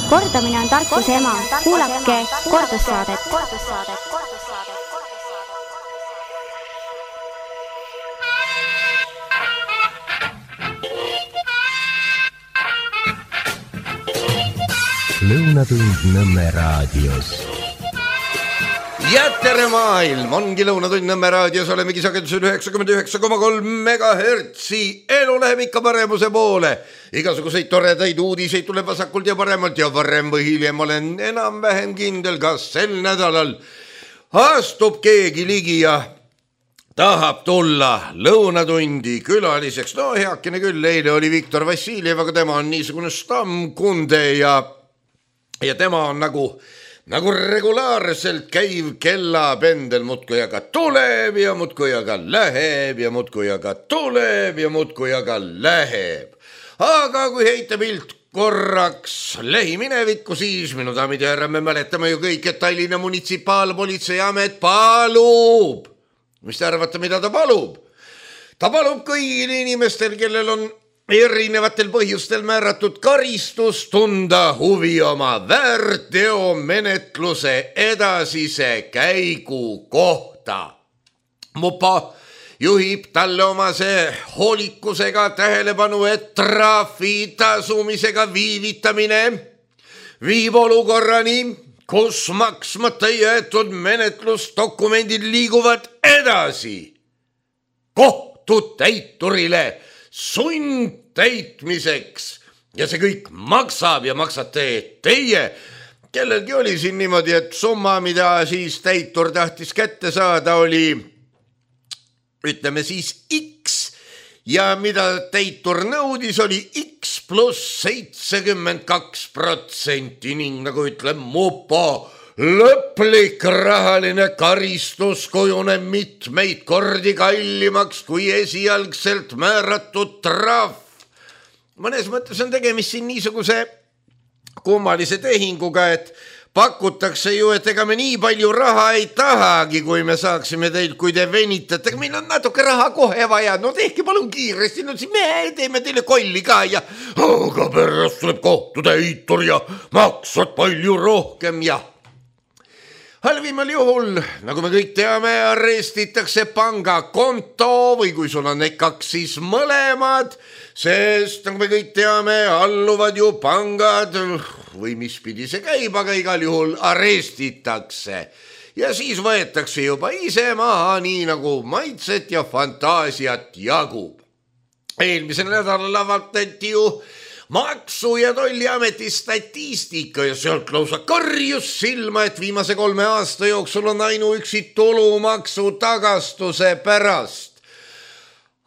Kordamine on tarkuse ema. Kuulake kordussaadet. Lõunatund Nõmme raadios. Ja tere maailm, ongi Lõunatund Nõmme raadios, olemegi sagedusel 99,3 megahertsi. Elu läheb ikka paremuse poole. Igasuguseid toredaid uudiseid tuleb vasakult ja paremalt ja varem või hiljem olen enam-vähem kindel, kas sel nädalal astub keegi ligi ja tahab tulla Lõunatundi külaliseks. No heakene küll, eile oli Viktor Vassiljev, aga tema on niisugune stammkunde ja tema on nagu regulaarselt käiv kellapendel, muudkui aga tuleb ja muudkui aga läheb ja muudkui aga tuleb ja muudkui aga läheb. Aga kui heita pilt korraks lähiminevikku, siis minu daamid ja härrad, me mäletame ju kõik, et Tallinna munitsipaalpolitseiamet palub. Mis te arvate, mida ta palub? Ta palub kõigil inimestel, kellel on erinevatel põhjustel määratud karistus, tunda huvi oma väärteomenetluse edasise käigu kohta. Mupa juhib talle omase hoolikusega tähelepanu, et trahvi tasumisega viivitamine viib olukorrani, kus maksmata jäetud menetlusdokumendid liiguvad edasi kohtutäiturile sundtäitmiseks ja see kõik maksab ja maksate teie. Kellelgi oli siin niimoodi, et summa, mida siis täitur tahtis kätte saada, oli ütleme siis X ja mida täitur nõudis, oli X pluss 72% ning nagu ütleb Mupo, lõplik rahaline karistus kujuneb mitmeid kordi kallimaks kui esialgselt määratud trahv. Mõnes mõttes on tegemist siin niisuguse kummalise tehinguga, et pakutakse ju, et ega me nii palju raha ei tahagi, kui me saaksime teilt, kui te venitate. Meil on natuke raha kohe vaja, no tehke palun kiiresti, no siis me teeme teile kolli ka ja aga pärast tuleb kohtutäitur ja maksad palju rohkem ja halvimal juhul, nagu me kõik teame, arestitakse pangakonto või kui sul on kaks, siis mõlemad, sest nagu me kõik teame, alluvad ju pangad või mis pidi see käib, aga igal juhul arestitakse. Ja siis võetakse juba ise maha nii nagu maitset ja fantaasiat jagub. Eelmisel nädalal avaldati ju Maksu- ja Tolliameti statistika ja sealt lausa karjus silma, et viimase 3 aasta jooksul on ainuüksi tulumaksu tagastuse pärast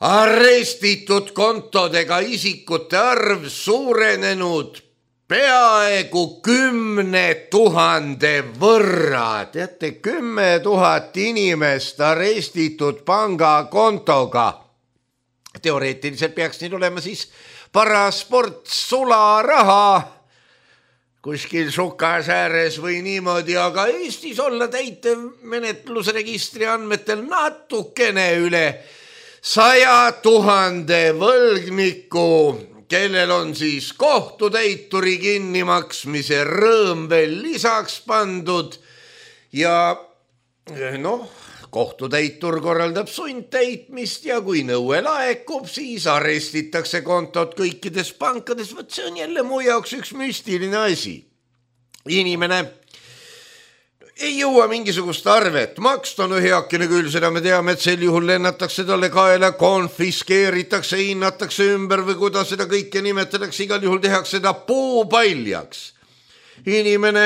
arestitud kontodega isikute arv suurenenud peaaegu 10 000 võrra. Teate, 10 000 inimest arestitud pangakontoga. Teoreetiliselt peaks nii olema siis parasport sularaha kuskil sukas ääres või niimoodi, aga Eestis olla täitemenetlusregistri andmetel natukene üle 100 000 võlgniku, kellel on siis kohtutäituri kinnimaksmise rõõm veel lisaks pandud ja kohtutäitur korraldab sundtäitmist ja kui nõue laekub, siis arestitakse kontot kõikides pankades. Võt see on jälle mu jaoks üks müstiline asi. Inimene ei jõua mingisugust arvet maksta, no heakene küll, seda me teame, et sel juhul lennatakse talle kaela, konfiskeeritakse, hinnatakse ümber või kuidas seda kõike nimetatakse, igal juhul tehakse seda puupaljaks. Inimene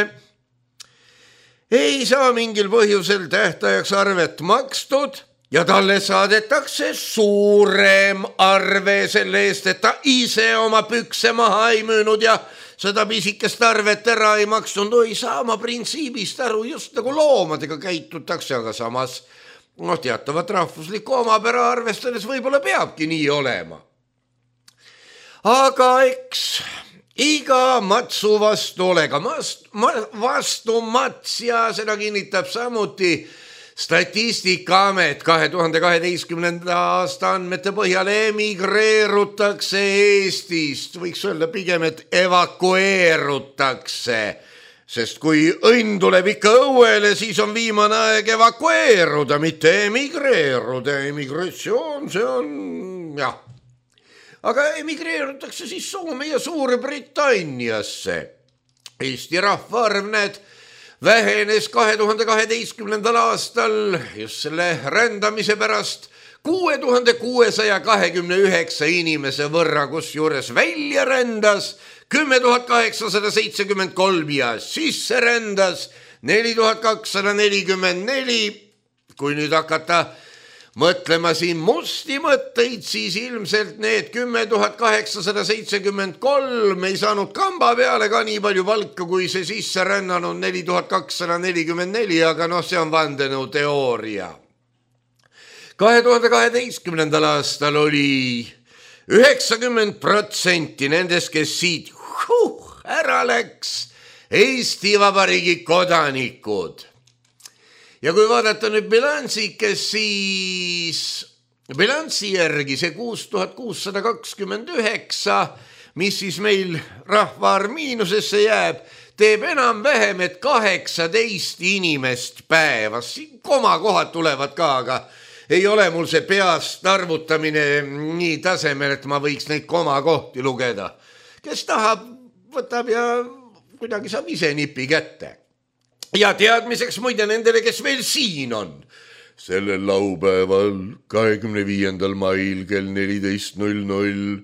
ei saa mingil põhjusel tähtajaks arvet makstud ja talle saadetakse suurem arve selle eest, et ta ise oma pükse maha ei müünud ja seda pisikest arvet ära ei maksnud. No ei saa ma printsiibist aru, just nagu loomadega käitutakse, aga samas teatavat rahvuslikku omapära arvestades võib-olla peabki nii olema. Aga eks iga matsu vastu olega vastu mats ja seda kinnitab samuti Statistikaamet 2012. aasta andmete põhjal emigreerutakse Eestist, võiks öelda pigem, et evakueerutakse, sest kui õnn tuleb ikka õuele, siis on viimane aeg evakueeruda, mitte emigreeruda. Emigratsioon, see on, jah. Aga emigreerutakse siis Soome ja Suurbritanniasse. Eesti rahvaarv, näed, vähenes 2012. aastal just selle rändamise pärast 6629 inimese võrra, kus juures välja rändas 10 873 ja sisse rändas 4244. Kui nüüd hakata mõtlema siin musti mõtteid, siis ilmselt need 10 873 ei saanud kamba peale ka nii palju palka, kui see sisse rännanud 4244, aga see on vandenõuteooria. 2012. aastal oli 90% nendest, kes siit ära läks, Eesti Vabariigi kodanikud. Ja kui vaadata nüüd bilansikes, siis bilansi järgi see 6629, mis siis meil rahvaarv miinusesse jääb, teeb enam-vähem, et 18 inimest päevas. Siin komakohad tulevad ka, aga ei ole mul see peast arvutamine nii tasemel, et ma võiks neid komakohti lugeda. Kes tahab, võtab ja kuidagi saab ise nipi kätte. Ja teadmiseks muide nendele, kes veel siin on. Sellel laupäeval 25. mail kell 14.00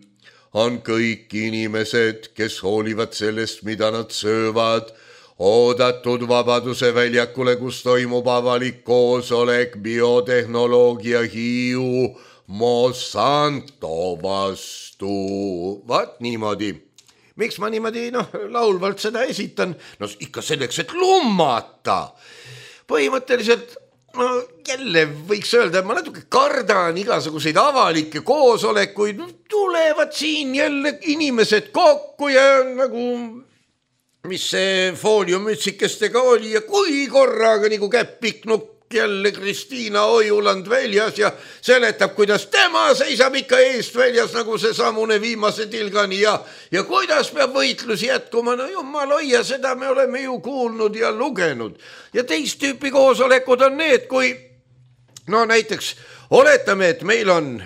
on kõik inimesed, kes hoolivad sellest, mida nad söövad, oodatud Vabaduse väljakule, kus toimub avalik koosolek biotehnoloogia Hiiu Monsanto vastu. Vaat niimoodi. Miks ma niimoodi laulvalt seda esitan? Ikka selleks, et lummata. Põhimõtteliselt jälle võiks öelda, et ma natuke kardan igasuguseid avalikke koosolekuid. Tulevad siin jälle inimesed kokku ja nagu, mis see fooliummütsikestega oli ja kui korraga nagu käppiknukk jälle Kristiina Ojuland väljas ja seletab, kuidas tema seisab ikka eest väljas nagu see samune viimase tilgani ja kuidas peab võitlus jätkuma. Jumal hoia, seda me oleme ju kuulnud ja lugenud. Ja teist tüüpi koosolekud on need, kui näiteks oletame, et meil on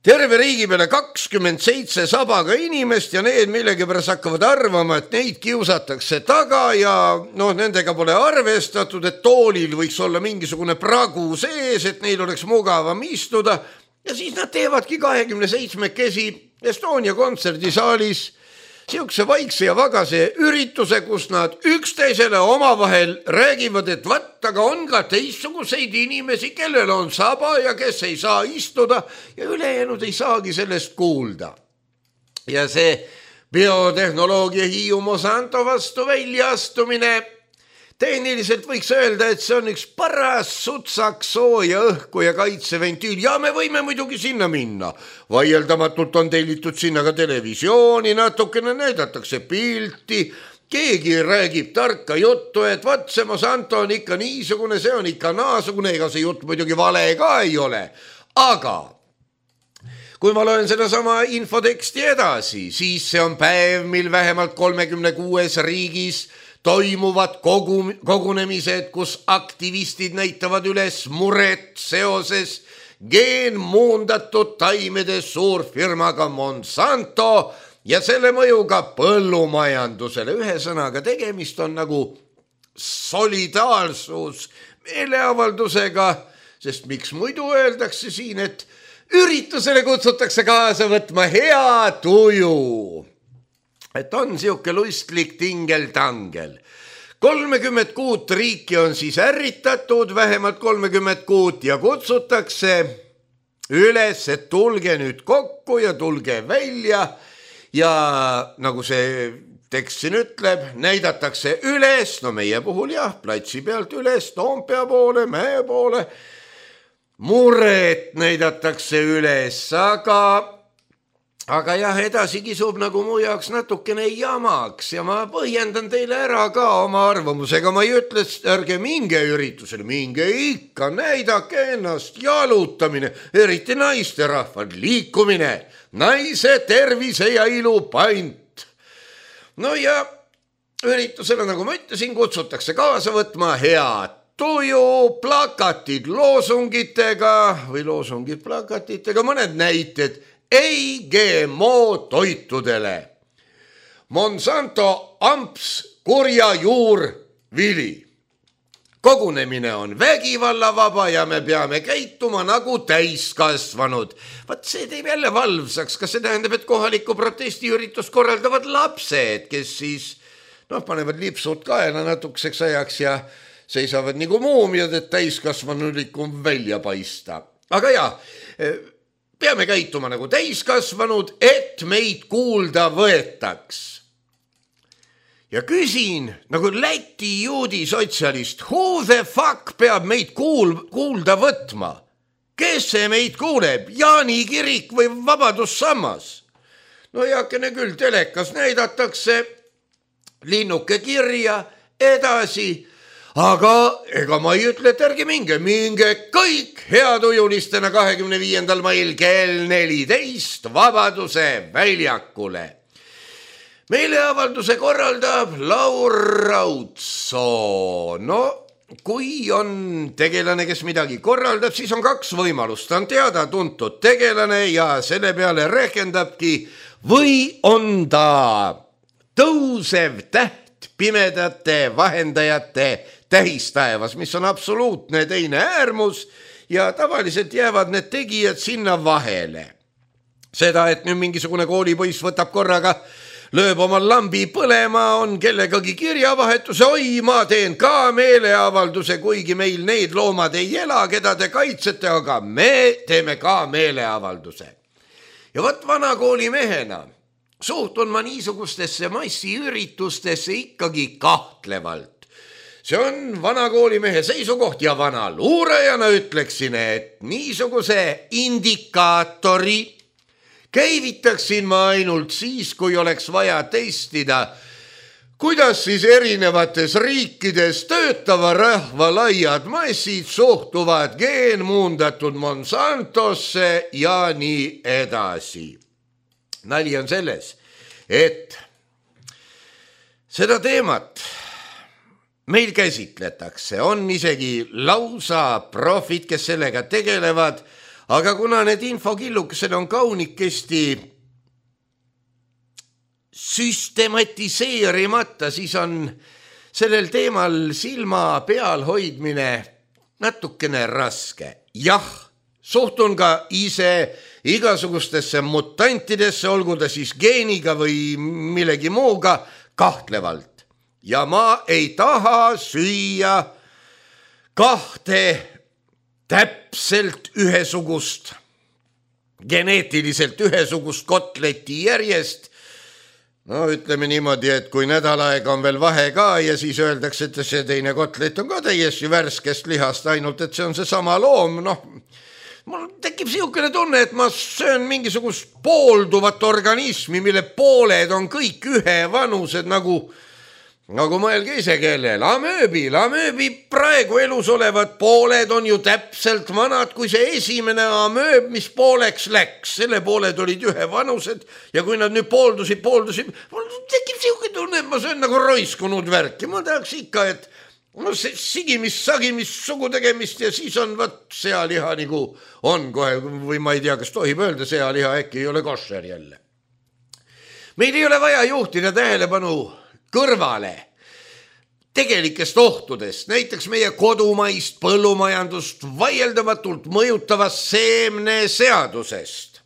terve riigi peale 27 sabaga inimest ja need millegipärast hakkavad arvama, et neid kiusatakse taga ja nendega pole arvestatud, et toolil võiks olla mingisugune pragu sees, et neil oleks mugavam istuda. Ja siis nad teevadki 27-kesi Estonia kontserdisaalis siukse vaikse ja vagase ürituse, kus nad üksteisele omavahel räägivad, et aga on ka teistsuguseid inimesi, kellel on saba ja kes ei saa istuda ja ülejäänud ei saagi sellest kuulda. Ja see biotehnoloogia Hiiu Monsanto vastu väljaastumine, tehniliselt võiks öelda, et see on üks paras sutsaks sooja õhku ja kaitseventiil ja me võime muidugi sinna minna. Vaieldamatult on tellitud sinna ka televisiooni, natukene näidatakse pilti, keegi räägib tarka juttu, et vaat see Monsanto on ikka niisugune, see on ikka naasugune, ega see jutt muidugi vale ka ei ole. Aga kui ma loen seda sama infoteksti edasi, siis see on päev, mil vähemalt 36 riigis toimuvad kogunemised, kus aktivistid näitavad üles muret seoses geenmuundatud taimede suurfirmaga Monsanto ja selle mõjuga põllumajandusele. Ühesõnaga tegemist on nagu solidaarsus meeleavaldusega, sest miks muidu öeldakse siin, et üritusele kutsutakse kaasa võtma hea tuju. Et on siuke lustlik tingel-tangel. 36 riiki on siis ärritatud, vähemalt 36 ja kutsutakse üles, et tulge nüüd kokku ja tulge välja ja nagu see tekst siin ütleb, näidatakse üles, meie puhul jah, platsi pealt üles, Toompea poole, Mäe poole, muret näidatakse üles, aga aga jah, edasi kisub nagu mu jaoks natukene jamaks ja ma põhjendan teile ära ka oma arvamusega. Ma ei ütle, ärge minge üritusele, minge ikka, näidake ennast, jalutamine, eriti naisterahvad, liikumine, naise tervise ja ilu pant. No ja üritusele, nagu ma ütlesin, kutsutakse kaasa võtma head tuju, plakatid loosungitega või loosungid plakatitega, mõned näited ei GMO toitudele. Monsanto amps kurja juurvili. Kogunemine on vägivallavaba ja me peame käituma nagu täiskasvanud. Vaat see teeb jälle valvsaks. Kas see tähendab, et kohalikku protestiüritust korraldavad lapsed, kes siis panevad lipsud kaela natukeseks ajaks ja seisavad nagu muumiad, et täiskasvanulikum välja paista. Aga jah, peame käituma nagu täiskasvanud, et meid kuulda võetaks. Ja küsin nagu Läti juudi sotsialist, who the fuck peab meid kuulda võtma? Kes see meid kuuleb? Jaani kirik või Vabadussammas? No heakene küll, telekas näidatakse linnuke kirja edasi. Aga ega ma ei ütle, et ärge minge kõik heatujulistena 25. mail kell 14 Vabaduse väljakule. Meeleavalduse korraldab Laur Raudso. No, kui on tegelane, kes midagi korraldab, siis on kaks võimalust. Ta on teada-tuntud tegelane ja selle peale rehkendabki või on ta tõusev täht pimedate vahendajate tähistaevas, mis on absoluutne teine äärmus ja tavaliselt jäävad need tegijad sinna vahele. Seda, et nüüd mingisugune koolipoiss võtab korraga, lööb oma lambi põlema, on kellegagi kirjavahetuse, oi, ma teen ka meeleavalduse, kuigi meil neid loomad ei ela, keda te kaitsete, aga me teeme ka meeleavalduse. Ja võt vana kooli mehena suhtun ma niisugustesse massiüritustesse ikkagi kahtlevalt. See on vana koolimehe seisukoht ja vana luurajana ütleksin, et niisuguse indikaatori käivitaksin ma ainult siis, kui oleks vaja testida, kuidas siis erinevates riikides töötava rahva laiad massid suhtuvad geenmuundatud Monsantosse ja nii edasi. Nali on selles, et seda teemat meil käsitletakse, on isegi lausa profid, kes sellega tegelevad, aga kuna need infokillukesed on kaunikesti süstematiseerimata, siis on sellel teemal silma peal hoidmine natukene raske. Jah, suhtun ka ise igasugustesse mutantidesse, olgu ta siis geeniga või millegi muuga, kahtlevalt. Ja ma ei taha süüa kahte täpselt ühesugust, geneetiliselt ühesugust kotleti järjest. No ütleme niimoodi, et kui nädal aega on veel vahe ka ja siis öeldakse, et see teine kotlet on ka täiesti värskest lihast, ainult et see on see sama loom, mul tekib siukene tunne, et ma söön mingisugust poolduvat organismi, mille pooled on kõik ühevanused nagu mõelge ise kellel, amööbi praegu elus olevad pooled on ju täpselt vanad, kui see esimene amööb, mis pooleks läks, selle pooled olid ühevanused ja kui nad nüüd pooldusid, mul tekib siuke tunne, et ma söön nagu roiskunud värk ja ma tahaks ikka, et sagimist, sugutegemist ja siis on sealiha nagu on kohe või ma ei tea, kas tohib öelda sealiha, äkki ei ole košer jälle. Meil ei ole vaja juhtida tähelepanu kõrvale tegelikest ohtudest, näiteks meie kodumaist põllumajandust vaieldamatult mõjutavast seemneseadusest.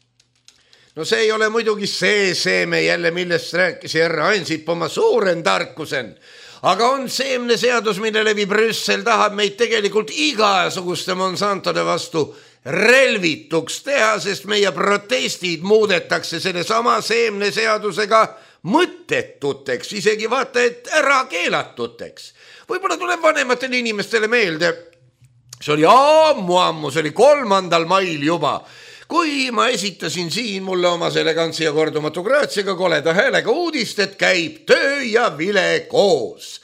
No see ei ole muidugi see seeme jälle, millest rääkis härra Ansip oma suuren tarkusen, aga on seemneseadus, mille läbi Brüssel tahab meid tegelikult igasuguste Monsantode vastu relvituks teha, sest meie protestid muudetakse selle sama seemneseadusega mõttetuteks, isegi vaata, et ära keelatuteks. Võib-olla tuleb vanematele inimestele meelde, see oli ammu, see oli 3. mail juba, kui ma esitasin siin mulle oma elegantsi ja kordumatu graatsiaga koleda häälega uudist, et käib töö ja vile koos.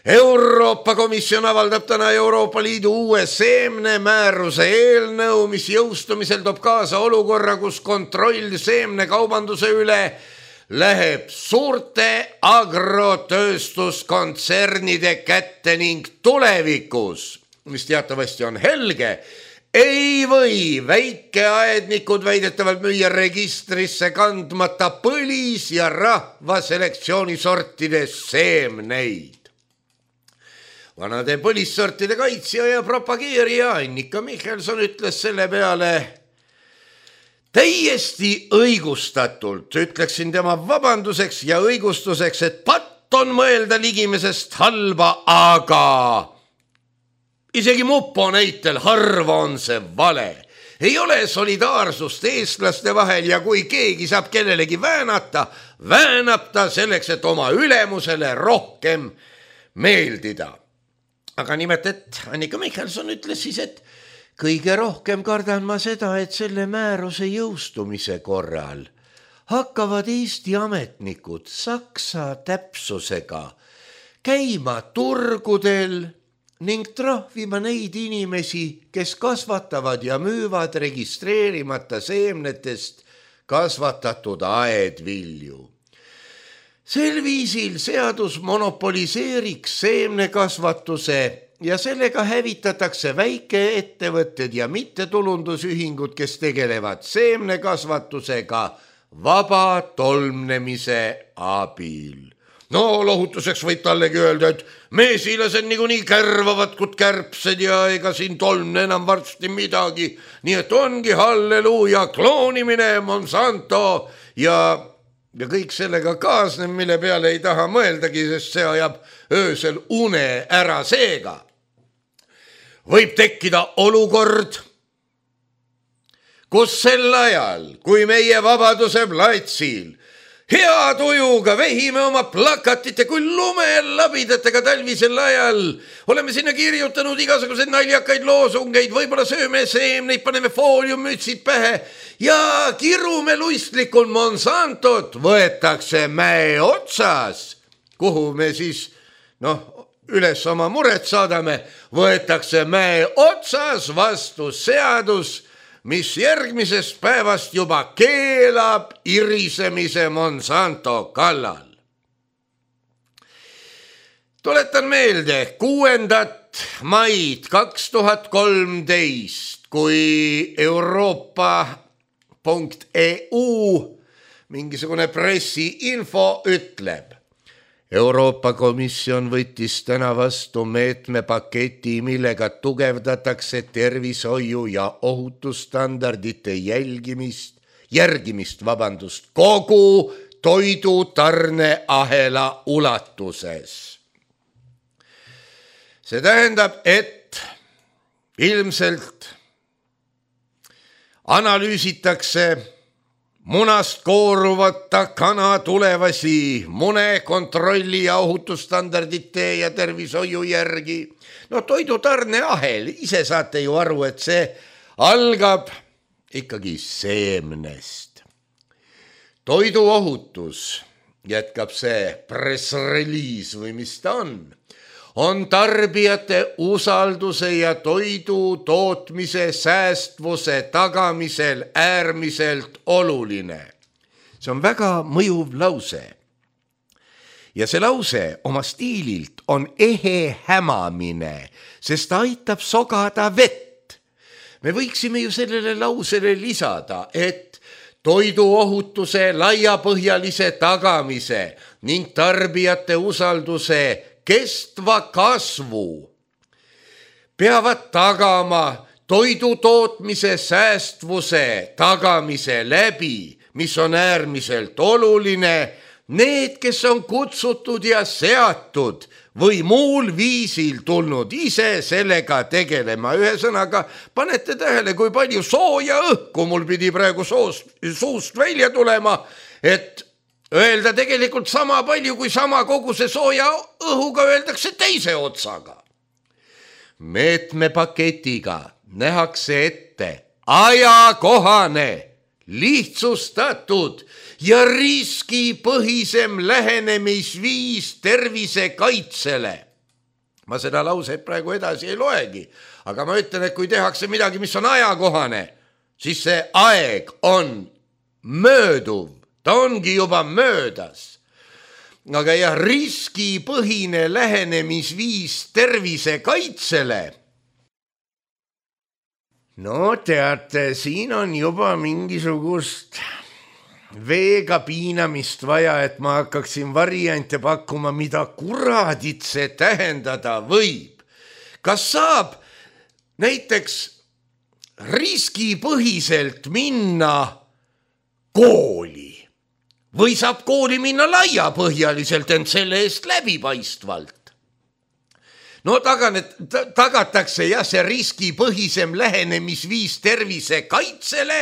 Euroopa Komisjon avaldab täna Euroopa Liidu uue seemnemääruse eelnõu, mis jõustumisel toob kaasa olukorra, kus kontroll seemnekaubanduse üle läheb suurte agrotööstuskontsernide kätte ning tulevikus, mis teatavasti on helge, ei või väikeaednikud väidetavalt müüa registrisse kandmata põlis- ja rahvaselektsioonisortide seemneid. Vanade põlissortide kaitsja ja propageerija Annika Michelson ütles selle peale täiesti õigustatult, ütleksin tema vabanduseks ja õigustuseks, et patt on mõelda ligimesest halba, aga isegi mupo näitel harva on see vale. Ei ole solidaarsust eestlaste vahel ja kui keegi saab kellelegi väänab ta selleks, et oma ülemusele rohkem meeldida. Aga nimelt, et Annika Michelson ütles siis, et kõige rohkem kardan ma seda, et selle määruse jõustumise korral hakkavad Eesti ametnikud saksa täpsusega käima turgudel ning trahvima neid inimesi, kes kasvatavad ja müüvad registreerimata seemnetest kasvatatud aedvilju. Sel viisil seadus monopoliseeriks seemnekasvatuse ja sellega hävitatakse väikeettevõtted ja mittetulundusühingud, kes tegelevad seemnekasvatusega vaba tolmnemise abil. No lohutuseks võib tallegi öelda, et meesilased niikuinii kärvavad kui kärbsed ja ega siin tolmne enam varsti midagi. Nii et ongi halleluuja, kloonimine, Monsanto ja kõik sellega kaasneb, mille peale ei taha mõeldagi, sest see ajab öösel une ära. Seega võib tekkida olukord, kus sel ajal, kui meie Vabaduse platsil hea tujuga vehime oma plakatite kui lumelabidatega talvisel ajal, oleme sinna kirjutanud igasuguseid naljakaid loosungeid, võib-olla sööme seemneid, paneme fooliummütsid pähe ja kirume luistlikul Monsantot, võetakse mäe otsas, kuhu me siis üles oma muret saadame, võetakse mäe otsas vastu seadus, mis järgmisest päevast juba keelab irisemise Monsanto kallal. Tuletan meelde 6. maid 2013, kui Euroopa.eu mingisugune pressiinfo ütleb, Euroopa Komisjon võttis täna vastu meetmepaketi, millega tugevdatakse tervishoiu ja ohutusstandardite järgimist kogu toidutarneahela ulatuses. See tähendab, et ilmselt analüüsitakse munast kooruvata kana tulevasi mune kontrolli ja ohutusstandardite ja tervishoiu järgi. Toidutarneahel, ise saate ju aru, et see algab ikkagi seemnest. Toiduohutus, jätkab see pressreliis või mis ta on tarbijate usalduse ja toidu tootmise säästvuse tagamisel äärmiselt oluline. See on väga mõjuv lause. Ja see lause oma stiililt on ehe hämamine, sest ta aitab sogada vett. Me võiksime ju sellele lausele lisada, et toiduohutuse laiapõhjalise tagamise ning tarbijate usalduse kestva kasvu peavad tagama toidu tootmise säästvuse tagamise läbi, mis on äärmiselt oluline, need, kes on kutsutud ja seatud või muul viisil tulnud ise sellega tegelema. Ühesõnaga, panete tähele, kui palju sooja õhku mul pidi praegu suust välja tulema, et öelda tegelikult sama palju kui sama koguse sooja õhuga öeldakse teise otsaga. Meetmepaketiga nähakse ette ajakohane, lihtsustatud ja riskipõhisem lähenemisviis tervisekaitsele. Ma seda lauset praegu edasi ei loegi, aga ma ütlen, et kui tehakse midagi, mis on ajakohane, siis see aeg on mööduv, ta ongi juba möödas. Aga jah, riskipõhine lähenemisviis tervisekaitsele. No teate, siin on juba mingisugust veega piinamist vaja, et ma hakkaksin variante pakkuma, mida kuradit see tähendada võib. Kas saab näiteks riskipõhiselt minna kooli või saab kooli minna laiapõhjaliselt, ent selle eest läbipaistvalt? No tagatakse jah see riskipõhisem lähenemisviis tervisekaitsele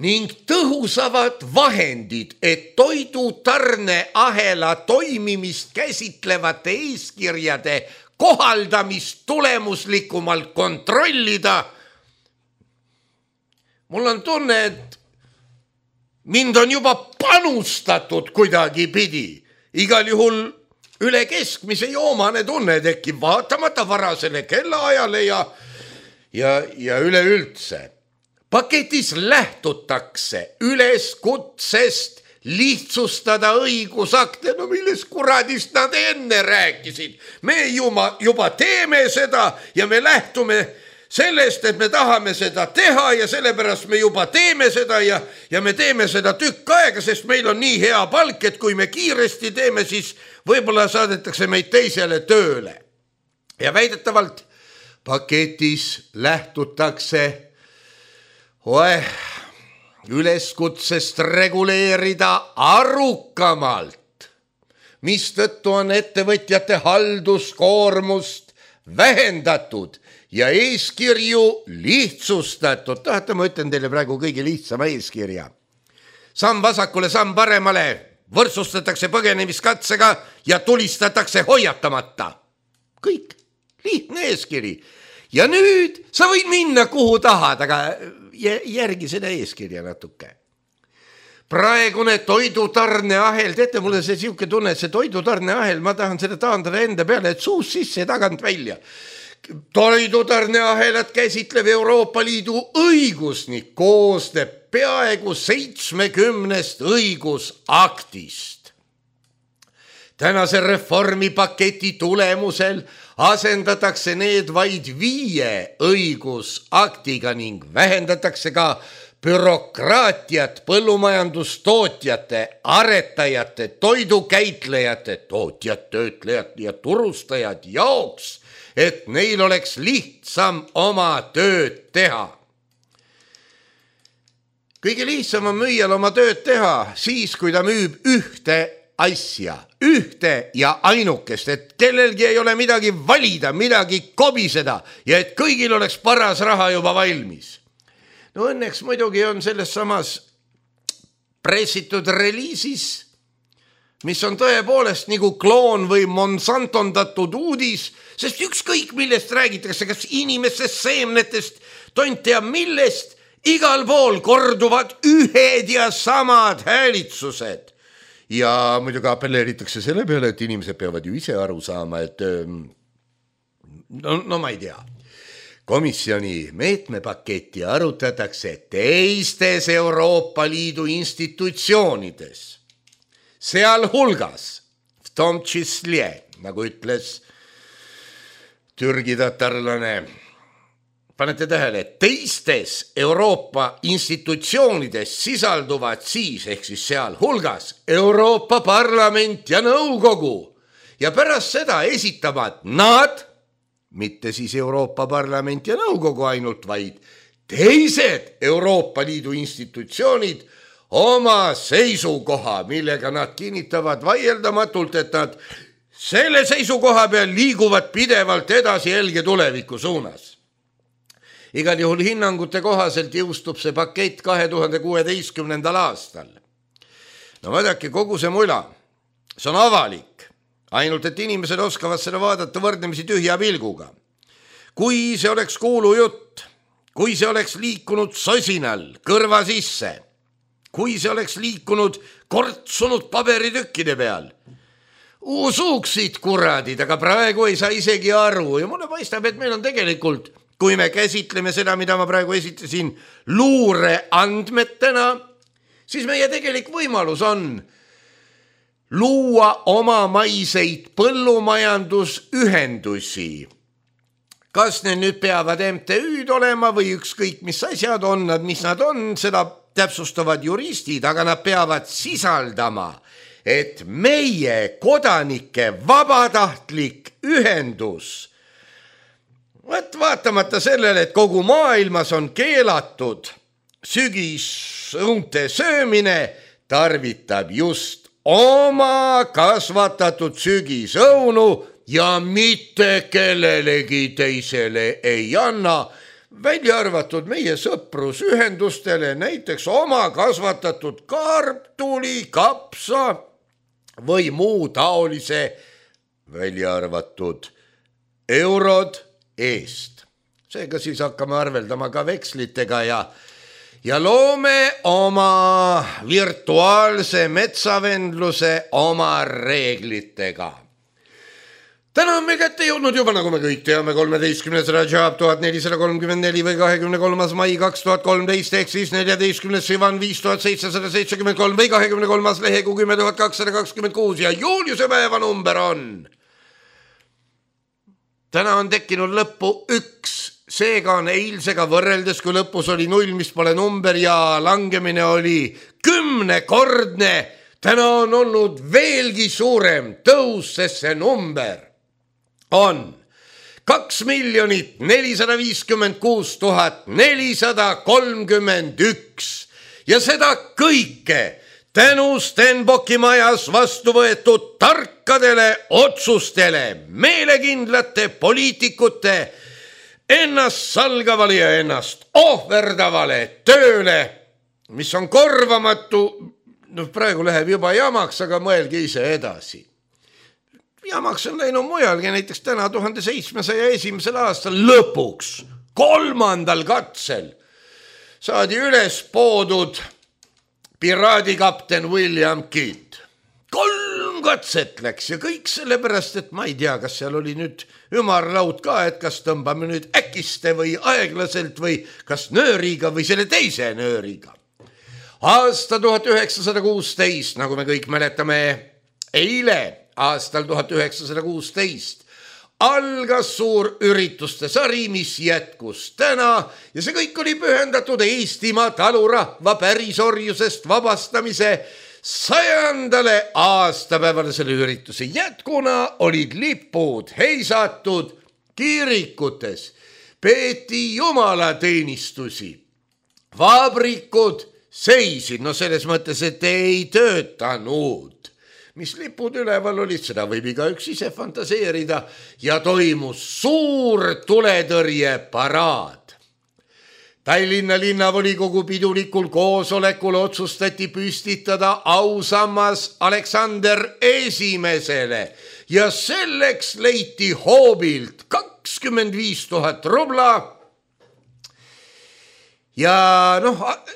ning tõhusavad vahendid, et toidutarneahela toimimist käsitlevate eeskirjade kohaldamist tulemuslikumalt kontrollida. Mul on tunne, et mind on juba panustatud kuidagi pidi. Igal juhul üle keskmise joomane tunne tekib vaatamata varasele kellaajale ja üleüldse. Paketis lähtutakse üleskutsest lihtsustada õigusakte, no millest kuradist nad enne rääkisid. Me juba teeme seda ja me lähtume sellest, et me tahame seda teha ja sellepärast me juba teeme seda ja me teeme seda tükk aega, sest meil on nii hea palk, et kui me kiiresti teeme, siis võib-olla saadetakse meid teisele tööle. Ja väidetavalt paketis lähtutakse üleskutsest reguleerida arukamalt, mistõttu on ettevõtjate halduskoormust vähendatud ja eeskirju lihtsustatud. Tahate, ma ütlen teile praegu kõige lihtsama eeskirja. Samm vasakule, samm paremale, võrdsustatakse põgenemiskatsega ja tulistatakse hoiatamata. Kõik, lihtne eeskiri. Ja nüüd sa võid minna kuhu tahad, aga järgi seda eeskirja natuke. Praegune toidutarneahel, teete mulle see siuke tunne, et see toidutarneahel, ma tahan seda taandada enda peale, et suus sisse ja tagant välja. Toidutarneahelat käsitlev Euroopa Liidu õigusnik koosneb peaaegu 70 õigusaktist. Tänase reformipaketi tulemusel asendatakse need vaid 5 õigusaktiga ning vähendatakse ka bürokraatiat põllumajandustootjate, aretajate, toidukäitlejate, tootjad, töötlejad ja turustajad jaoks, et neil oleks lihtsam oma tööd teha. Kõige lihtsam on müüjal oma tööd teha siis, kui ta müüb ühte asja, ühte ja ainukest, et kellelgi ei ole midagi valida, midagi kobiseda ja et kõigil oleks paras raha juba valmis. No õnneks muidugi on selles samas pressitud reliisis, mis on tõepoolest nagu kloon või monsantondatud uudis, sest ükskõik millest räägitakse, kas inimestest, seemnetest, tont ja millest, igal pool korduvad ühed ja samad häälitsused. Ja muidugi appelleeritakse selle peale, et inimesed peavad ju ise aru saama, et no ma ei tea. Komisjoni meetmepaketti arutatakse teistes Euroopa Liidu institutsioonides. Sealhulgas, v tom čísle, nagu ütles Türgi tatarlane, panete tähele, et teistes Euroopa institutsioonides sisalduvad siis, ehk siis sealhulgas Euroopa Parlament ja Nõukogu ja pärast seda esitavad nad, mitte siis Euroopa Parlament ja Nõukogu ainult, vaid teised Euroopa Liidu institutsioonid oma seisukoha, millega nad kinnitavad vaieldamatult, et nad selle seisukoha peal liiguvad pidevalt edasi helge tuleviku suunas. Igal juhul hinnangute kohaselt jõustub see pakett 2016. aastal. No vaadake, kogu see mula, see on avalik, ainult et inimesed oskavad seda vaadata võrdlemisi tühja pilguga. Kui see oleks kuulujutt, kui see oleks liikunud sosinal kõrva sisse, kui see oleks liikunud kortsunud paberitükkide peal. Usuksid kuradid, aga praegu ei saa isegi aru ja mulle paistab, et meil on tegelikult, kui me käsitleme seda, mida ma praegu esitasin luure andmetena, siis meie tegelik võimalus on luua omamaiseid põllumajandusühendusi. Kas need nüüd peavad MTÜ-d olema või ükskõik mis asjad on nad, mis nad on, seda täpsustavad juristid, aga nad peavad sisaldama, et meie kodanike vabatahtlik ühendus, vaatamata sellele, et kogu maailmas on keelatud sügisõunte söömine, tarvitab just oma kasvatatud sügisõunu ja mitte kellelegi teisele ei anna, välja arvatud meie sõprusühendustele, näiteks oma kasvatatud kartuli, kapsa või muu taolise, välja arvatud eurod eest. Seega siis hakkame arveldama ka vekslitega ja loome oma virtuaalse metsavendluse oma reeglitega. Täna on meil kätte jõudnud juba, nagu me kõik teame, 13. Rajab 1434 või 23. mai 2013 ehk siis 14. Sivan 5773 või 23. lehekuu 10226 ja Juliuse päeva number on. Täna on tekkinud lõppu 1, seega on eilsega võrreldes, kui lõpus oli 0, mis pole number ja langemine oli 10-kordne. Täna on olnud veelgi suurem tõus, sest see number on 2 456 431 ja seda kõike tänu Stenbocki majas vastu võetud tarkadele otsustele, meelekindlate poliitikute ennast salgavale ja ennast ohverdavale tööle, mis on korvamatu. No praegu läheb juba jamaks, aga mõelge ise edasi. Jamaks on läinud mujalgi, näiteks täna 1701. aastal lõpuks, 3. katsel saadi üles poodud piraadikapten William Kidd. 3 katset läks ja kõik sellepärast, et ma ei tea, kas seal oli nüüd ümarlaud ka, et kas tõmbame nüüd äkiste või aeglaselt või kas nööriga või selle teise nööriga. Aasta 1916, nagu me kõik mäletame, eile aastal 1916 algas suur ürituste sari, mis jätkus täna ja see kõik oli pühendatud Eestimaa talurahva pärisorjusest vabastamise 100. aastapäevale. Selle ürituse jätkuna olid lipud heisatud kirikutes, peeti jumalateenistusi, vabrikud seisid, no selles mõttes, et ei töötanud. Mis lipud üleval olid, seda võib igaüks ise fantaseerida ja toimus suur tuletõrjeparaad. Tallinna linnavolikogu pidulikul koosolekul otsustati püstitada ausammas Aleksander Esimesele ja selleks leiti hoobilt 25 000 rubla. Ja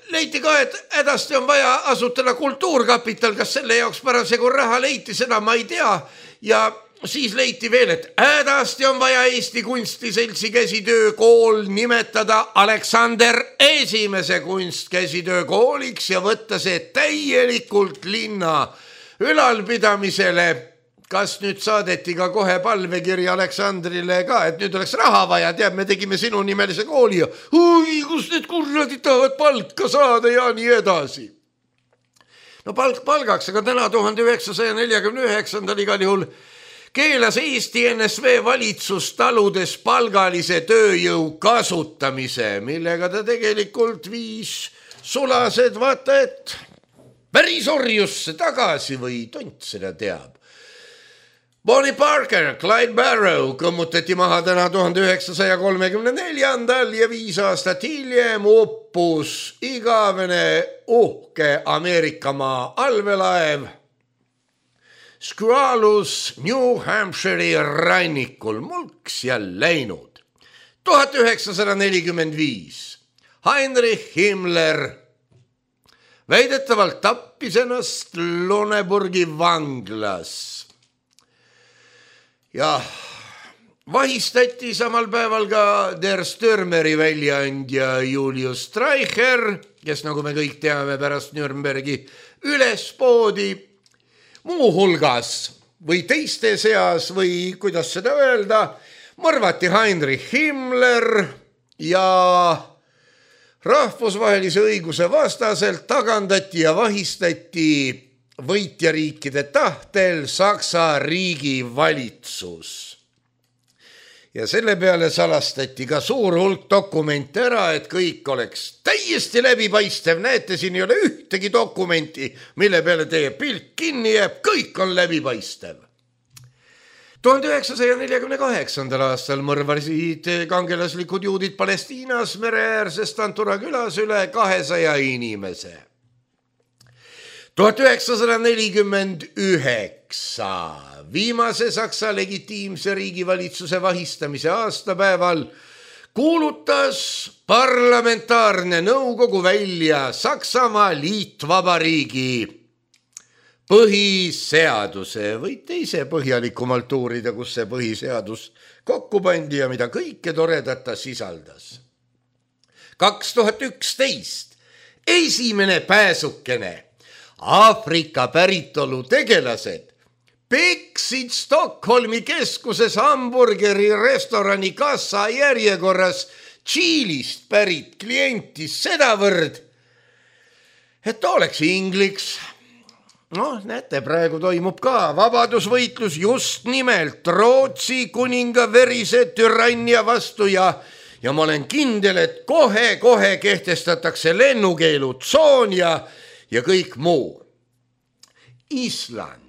leiti ka, et hädasti on vaja asutada kultuurkapital, kas selle jaoks parasjagu raha leiti, seda ma ei tea. Ja siis leiti veel, et hädasti on vaja Eesti Kunstiseltsi käsitöökool nimetada Aleksander Esimese kunstkäsitöökooliks ja võtta see täielikult linna ülalpidamisele. Kas nüüd saadeti ka kohe palvekiri Aleksandrile ka, et nüüd oleks raha vaja, teab, me tegime sinu nimelise kooli ja kus need kurradid tahavad palka saada ja nii edasi. No palk palgaks, aga täna 1949. igal juhul keelas Eesti NSV valitsus taludes palgalise tööjõu kasutamise, millega ta tegelikult viis sulased, vaata, et pärisorjusse tagasi või tont seda teab. Bonnie Parker, Clyde Barrow kõmmutati maha täna 1934. ja 5 aastat hiljem uppus igavene uhke Ameerikamaa allveelaev Squalus New Hampshire'i rannikul mulks ja läinud. 1945 Heinrich Himmler väidetavalt tappis ennast Lüneburgi vanglas ja vahistati samal päeval ka Der Stürmeri väljaandja Julius Streicher, kes nagu me kõik teame pärast Nürnbergi üles poodi, muuhulgas või teiste seas või kuidas seda öelda, mõrvati Heinrich Himmler ja rahvusvahelise õiguse vastaselt tagandati ja vahistati võitjariikide tahtel Saksa riigi valitsus. Ja selle peale salastati ka suur hulk dokumente ära, et kõik oleks täiesti läbipaistev. Näete, siin ei ole ühtegi dokumenti, mille peale teie pilk kinni jääb, kõik on läbipaistev. 1948. aastal mõrvasid kangelaslikud juudid Palestiinas mereäärses Tantura külas üle 200 inimese. 1949 viimase Saksa legitiimse riigivalitsuse vahistamise aastapäeval kuulutas parlamentaarne nõukogu välja Saksamaa liitvabariigi põhiseaduse. Võite ise põhjalikumalt uurida, kus see põhiseadus kokku pandi ja mida kõike toredat ta sisaldas. 2011 esimene pääsukene Aafrika päritolu tegelased peksid Stockholmi keskuses hamburgeri restorani kassa järjekorras Tšiilist pärit klienti sedavõrd, et ta oleks ingliks. Näete, praegu toimub ka vabadusvõitlus just nimelt Rootsi kuninga verise türannia vastu ja ma olen kindel, et kohe kehtestatakse lennukeelutsoon ja kõik muu. Island.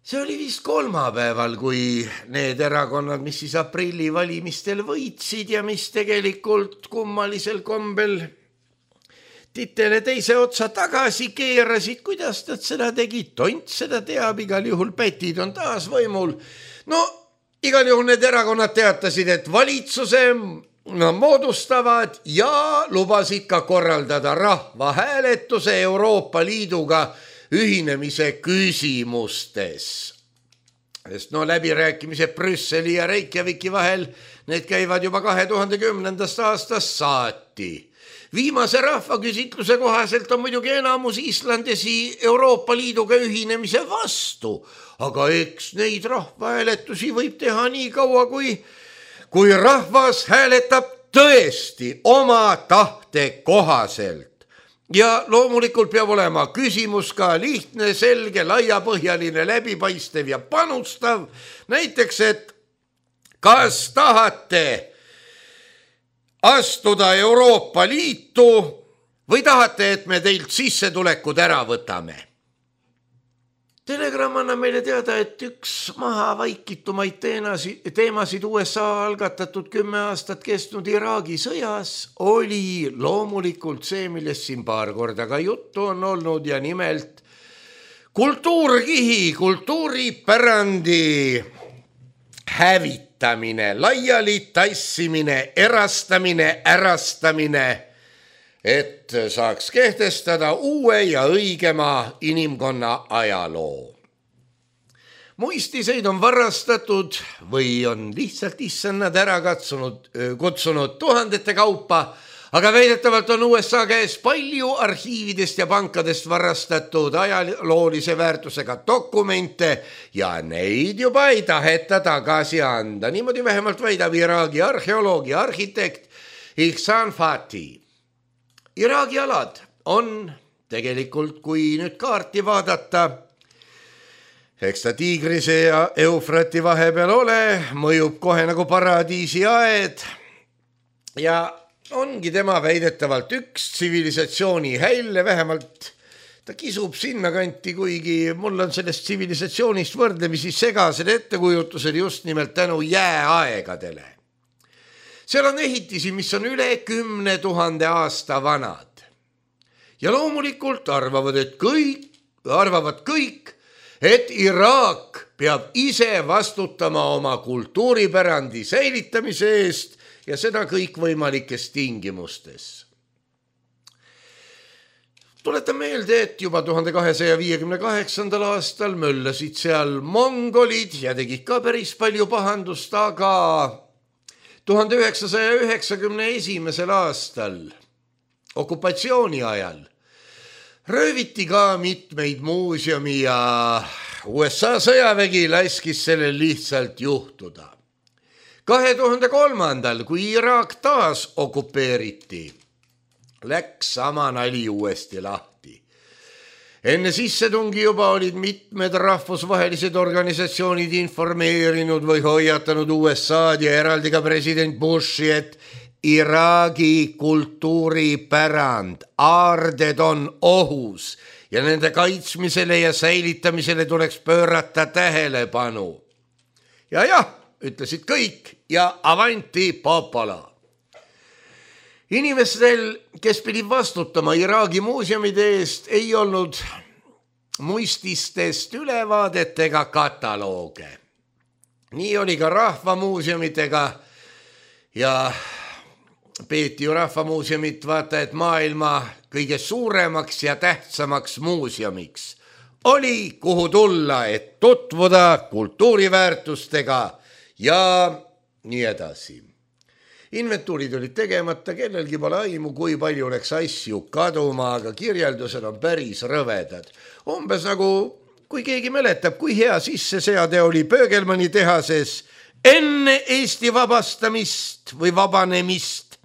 See oli vist kolmapäeval, kui need erakonnad, mis siis aprilli valimistel võitsid ja mis tegelikult kummalisel kombel titele teise otsa tagasi keerasid, kuidas nad seda tegid, tont seda teab, igal juhul pätid on taas võimul. Igal juhul need erakonnad teatasid, et valitsuse moodustavad ja lubasid ka korraldada rahvahääletuse Euroopa Liiduga ühinemise küsimustes. Sest läbirääkimised Brüsseli ja Reykjaviki vahel, need käivad juba 2010. aastast saati. Viimase rahvaküsitluse kohaselt on muidugi enamus islandesi Euroopa Liiduga ühinemise vastu, aga eks neid rahvahääletusi võib teha nii kaua, kui rahvas hääletab tõesti oma tahte kohaselt. Ja loomulikult peab olema küsimus ka lihtne, selge, laiapõhjaline, läbipaistev ja panustav. Näiteks, et kas tahate astuda Euroopa Liitu või tahate, et me teilt sissetulekud ära võtame? Telegram annab meile teada, et üks maha vaikitumaid teemasid USA algatatud 10 aastat kestnud Iraagi sõjas oli loomulikult see, millest siin paar korda ka juttu on olnud ja nimelt kultuurkihi, kultuuripärandi hävitamine, laiali tassimine, erastamine, ärastamine, et saaks kehtestada uue ja õigema inimkonna ajaloo. Muistiseid on varastatud või on lihtsalt issannad ära kutsunud tuhandete kaupa, aga väidetavalt on USA käes palju arhiividest ja pankadest varastatud ajaloolise väärtusega dokumente ja neid juba ei taheta tagasi anda. Niimoodi vähemalt väidab Iraagi arheoloog ja arhitekt Ihsan Fatih. Iraagi alad on tegelikult, kui nüüd kaarti vaadata, eks ta Tiigrise ja Eufrati vahepeal ole, mõjub kohe nagu paradiisi aed ja ongi tema väidetavalt üks tsivilisatsiooni hälle, vähemalt ta kisub sinna kanti, kuigi mul on sellest tsivilisatsioonist võrdlemisi segased ettekujutused just nimelt tänu jääaegadele. Seal on ehitisi, mis on üle 10 000 aasta vanad. Ja loomulikult arvavad kõik, et Iraak peab ise vastutama oma kultuuripärandi säilitamise eest ja seda kõikvõimalikes tingimustes. Tuletan meelde, et juba 1258. aastal möllasid seal mongolid ja tegid ka päris palju pahandust, aga 1991. aastal okupatsiooni ajal rööviti ka mitmeid muuseumi ja USA sõjavägi laskis sellel lihtsalt juhtuda. 2003. kui Iraak taas okupeeriti, läks sama nali uuesti lahti. Enne sissetungi juba olid mitmed rahvusvahelised organisatsioonid informeerinud või hoiatanud USA'd ja eraldi ka president Bushi, et Iraagi kultuuripärand, aarded on ohus ja nende kaitsmisele ja säilitamisele tuleks pöörata tähelepanu. Ja jah, ütlesid kõik ja avanti popolo. Inimestel, kes pidid vastutama Iraagi muuseumide eest, ei olnud muististest ülevaadet ega katalooge. Nii oli ka rahvamuuseumidega ja peeti ju rahvamuuseumit vaata, et maailma kõige suuremaks ja tähtsamaks muuseumiks. Oli kuhu tulla, et tutvuda kultuuriväärtustega ja nii edasi. Inventuurid olid tegemata, kellelgi pole aimu, kui palju oleks asju kaduma, aga kirjeldused on päris rõvedad. Umbes nagu, kui keegi mäletab, kui hea sisseseade oli Pöögelmanni tehases enne Eesti vabastamist või vabanemist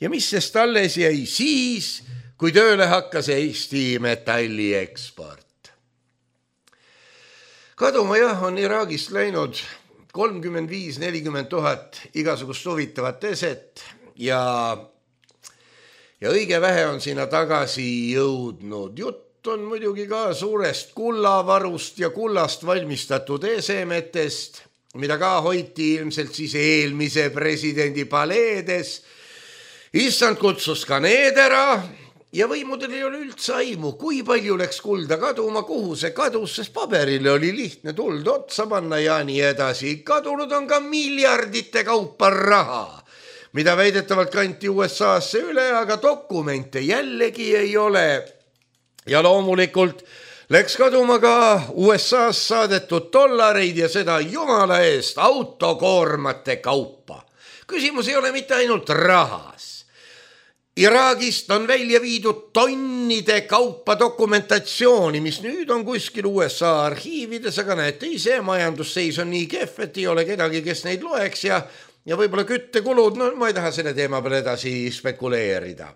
ja mis sest alles jäi siis, kui tööle hakkas Eesti metalli eksport. Kaduma jah, on Iraagist läinud 35-40 000 igasugust huvitavat eset ja õige vähe on sinna tagasi jõudnud. Jutt on muidugi ka suurest kullavarust ja kullast valmistatud esemetest, mida ka hoiti ilmselt siis eelmise presidendi paleedes. Issand kutsus ka need ära ja võimudel ei ole üldse aimu, kui palju läks kulda kaduma, kuhu see kadus, sest paberile oli lihtne tuld otsa panna ja nii edasi. Kadunud on ka miljardite kaupa raha, mida väidetavalt kanti USA-sse üle, aga dokumente jällegi ei ole. Ja loomulikult läks kaduma ka USA-s saadetud dollareid ja seda jumala eest autokoormate kaupa. Küsimus ei ole mitte ainult rahas. Iraagist on välja viidud tonnide kaupa dokumentatsiooni, mis nüüd on kuskil USA arhiivides, aga näete ise, majandusseis on nii kehv, et ei ole kedagi, kes neid loeks ja võib-olla küttekulud, no ma ei taha selle teema peale edasi spekuleerida.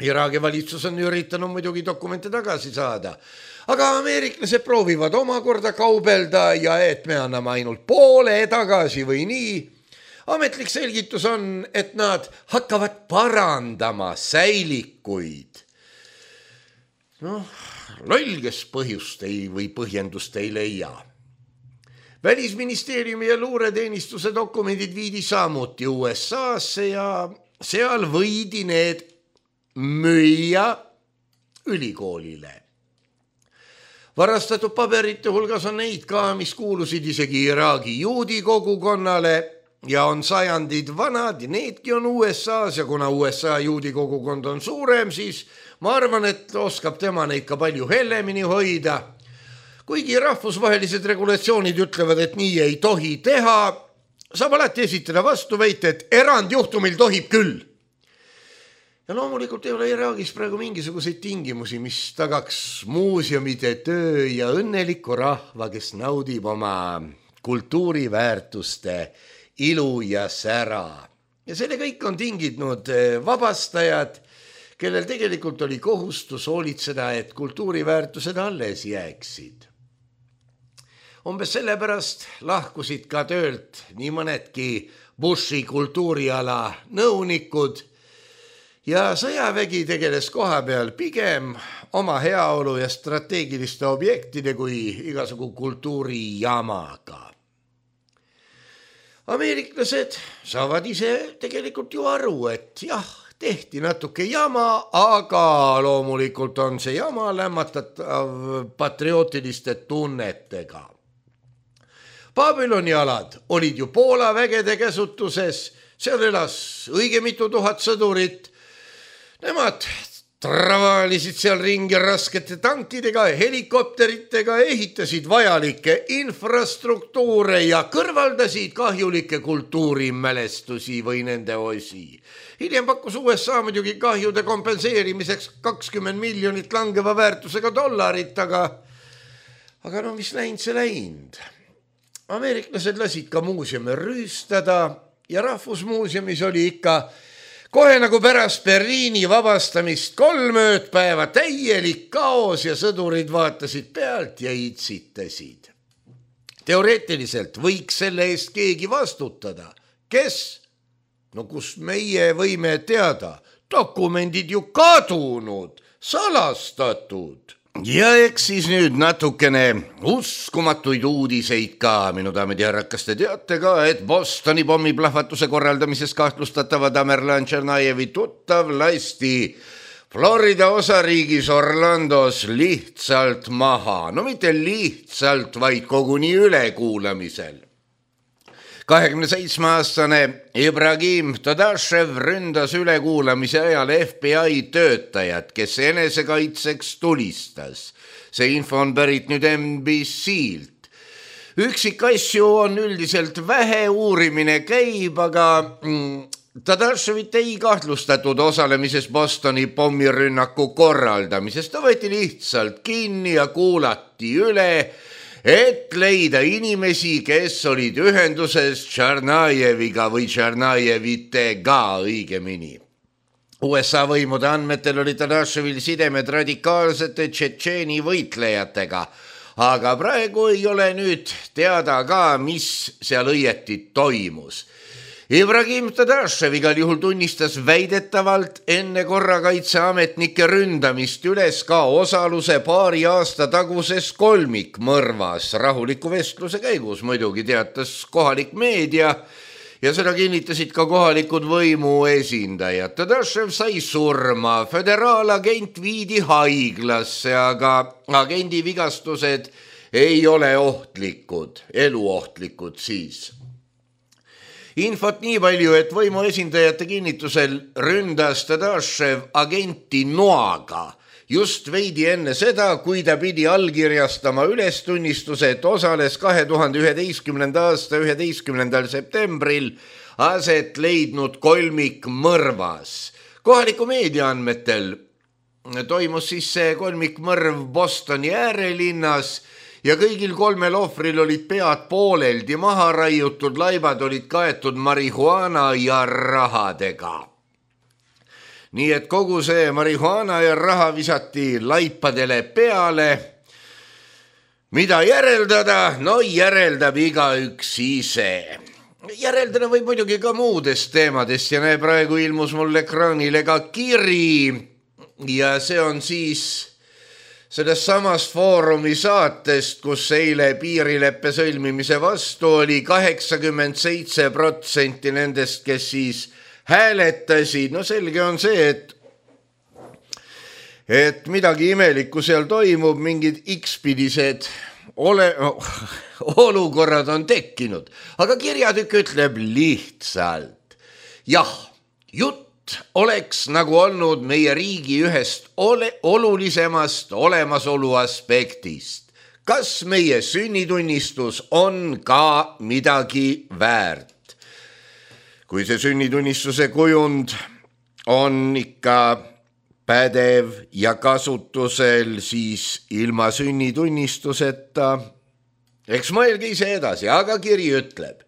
Iraagi valitsus on üritanud muidugi dokumente tagasi saada, aga ameeriklased proovivad omakorda kaubelda ja et me anname ainult poole tagasi või nii. Ametlik selgitus on, et nad hakkavad parandama säilikuid. Loll, kes põhjust või põhjendust ei leia. Välisministeeriumi ja luureteenistuse dokumendid viidi samuti USA-sse ja seal võidi need müüa ülikoolile. Varastatud paberite hulgas on neid ka, mis kuulusid isegi Iraagi juudi kogukonnale ja on sajandid vanad ja needki on USA-s ja kuna USA juudi kogukond on suurem, siis ma arvan, et oskab tema neid ka palju hellemini hoida. Kuigi rahvusvahelised regulatsioonid ütlevad, et nii ei tohi teha, saab alati esitada vastuväite, et erandjuhtumil tohib küll. Ja loomulikult ei ole Iraagis praegu mingisuguseid tingimusi, mis tagaks muuseumide töö ja õnneliku rahva, kes naudib oma kultuuriväärtuste ilu ja sära. Ja selle kõik on tinginud vabastajad, kellel tegelikult oli kohustus hoolitseda, et kultuuriväärtused alles jääksid. Umbes sellepärast lahkusid ka töölt nii mõnedki Bushi kultuuriala nõunikud ja sõjavägi tegeles koha peal pigem oma heaolu ja strateegiliste objektide kui igasugu kultuurijamaga. Ameeriklased saavad ise tegelikult ju aru, et jah, tehti natuke jama, aga loomulikult on see jama lämmatatav patriootiliste tunnetega. Babyloni alad olid ju Poola vägede käsutuses, seal elas õige mitu tuhat sõdurit. Nemad travalisid seal ringi raskete tankidega ja helikopteritega, ehitasid vajalikke infrastruktuure ja kõrvaldasid kahjulikke kultuurimälestusi või nende osi. Hiljem pakkus USA muidugi kahjude kompenseerimiseks 20 miljonit langeva väärtusega dollarit, aga no mis läinud, see läinud. Ameeriklased lasid ka muuseumi rüüstada ja Rahvusmuuseumis oli ikka kohe nagu pärast Berliini vabastamist 3 ööpäeva täielik kaos ja sõdurid vaatasid pealt ja itsitasid. Teoreetiliselt võiks selle eest keegi vastutada. Kes? No kus meie võime teada? Dokumendid ju kadunud, salastatud. Ja eks siis nüüd natukene uskumatuid uudiseid ka, minu daamid ja härrad, kas te teate ka, et Bostoni pommiplahvatuse korraldamises kahtlustatava Tamerlan Tšernajevi tuttav lasti Florida osariigis Orlandos lihtsalt maha, no mitte lihtsalt, vaid koguni ülekuulamisel. 27-aastane Ibrahim Todashev ründas ülekuulamise ajal FBI töötajat, kes enesekaitseks tulistas. See info on pärit nüüd NBC-lt. Üksikasju on üldiselt vähe, uurimine käib, aga Todashevit ei kahtlustatud osalemises Bostoni pommirünnaku korraldamises. Ta võeti lihtsalt kinni ja kuulati üle, et leida inimesi, kes olid ühenduses Tšernajeviga või Tšernajevitega õigemini. USA võimude andmetel oli Todashevil sidemed radikaalsete tšetšeeni võitlejatega, aga praegu ei ole nüüd teada ka, mis seal õieti toimus. Ibrahim Todashev igal juhul tunnistas väidetavalt enne korrakaitseametnike ründamist üles ka osaluse 2 aasta taguses kolmikmõrvas. Rahuliku vestluse käigus muidugi teatas kohalik meedia ja seda kinnitasid ka kohalikud võimu esindajad. Todashev sai surma, föderaalagent viidi haiglasse, aga agendi vigastused ei ole ohtlikud, eluohtlikud siis. Infot nii palju, et võimu esindajate kinnitusel ründas Todashev agenti noaga just veidi enne seda, kui ta pidi allkirjastama ülestunnistuse, et osales 2011. aasta 11. septembril aset leidnud kolmikmõrvas. Kohaliku meedia andmetel toimus siis see kolmikmõrv Bostoni äärelinnas ja kõigil 3 ohvril olid pead pooleldi maha raiutud, laibad olid kaetud marihuana ja rahadega. Nii et kogu see marihuana ja raha visati laipadele peale. Mida järeldada? No järeldab igaüks ise. Järeldada võib muidugi ka muudest teemadest ja praegu ilmus mul ekraanile ka kiri ja see on siis sellest samast foorumi saatest, kus eile piirileppe sõlmimise vastu oli 87% nendest, kes siis hääletasid. No selge on see, et midagi imelikku seal toimub, mingid X-pidised olukorrad on tekkinud. Aga kirjatükk ütleb lihtsalt, jah, jutt oleks nagu olnud meie riigi ühest olulisemast olemasolu aspektist. Kas meie sünnitunnistus on ka midagi väärt? Kui see sünnitunnistuse kujund on ikka pädev ja kasutusel, siis ilma sünnitunnistuseta, eks mõelge ise edasi, aga kiri ütleb,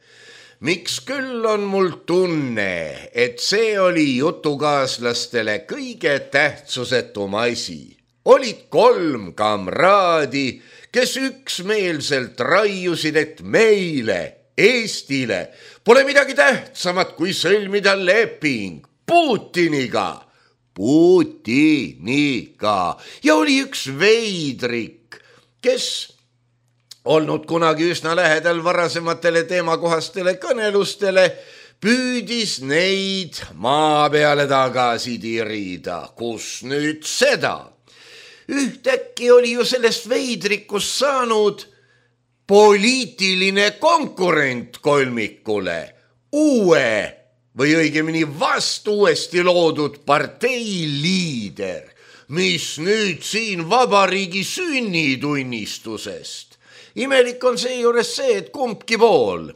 miks küll on mul tunne, et see oli jutukaaslastele kõige tähtsusetum asi. Olid 3 kamraadi, kes üksmeelselt raiusid, et meile, Eestile, pole midagi tähtsamat kui sõlmida leping Putiniga. Ja oli üks veidrik, kes olnud kunagi üsna lähedal varasematele teemakohastele kõnelustele, püüdis neid maa peale tagasi tirida. Kus nüüd seda? Ühtäkki oli ju sellest veidrikust saanud poliitiline konkurent kolmikule, uue või õigemini vastu uuesti loodud partei liider, mis nüüd siin vabariigi sünnitunnistusest. Imelik on seejuures see, et kumbki pool,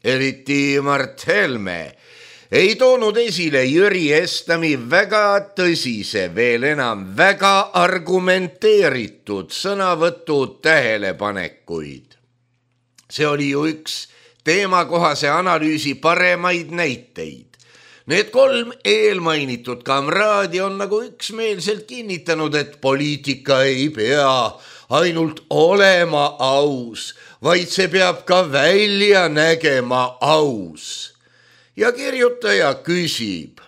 eriti Mart Helme, ei toonud esile Jüri Estami väga tõsise, veel enam väga argumenteeritud sõnavõtu tähelepanekuid. See oli ju üks teemakohase analüüsi paremaid näiteid. Need 3 eelmainitud kamraadi on nagu üksmeelselt kinnitanud, et poliitika ei pea ainult olema aus, vaid see peab ka välja nägema aus. Ja kirjutaja küsib,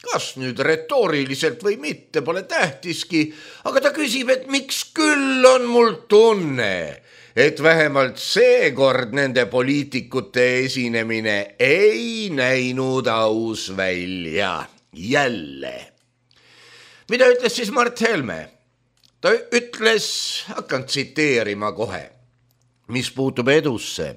kas nüüd retooriliselt või mitte, pole tähtiski, aga ta küsib, et miks küll on mul tunne, et vähemalt seekord nende poliitikute esinemine ei näinud aus välja. Jälle. Mida ütles siis Mart Helme? Ta ütles, hakkan tsiteerima kohe, mis puutub edusse.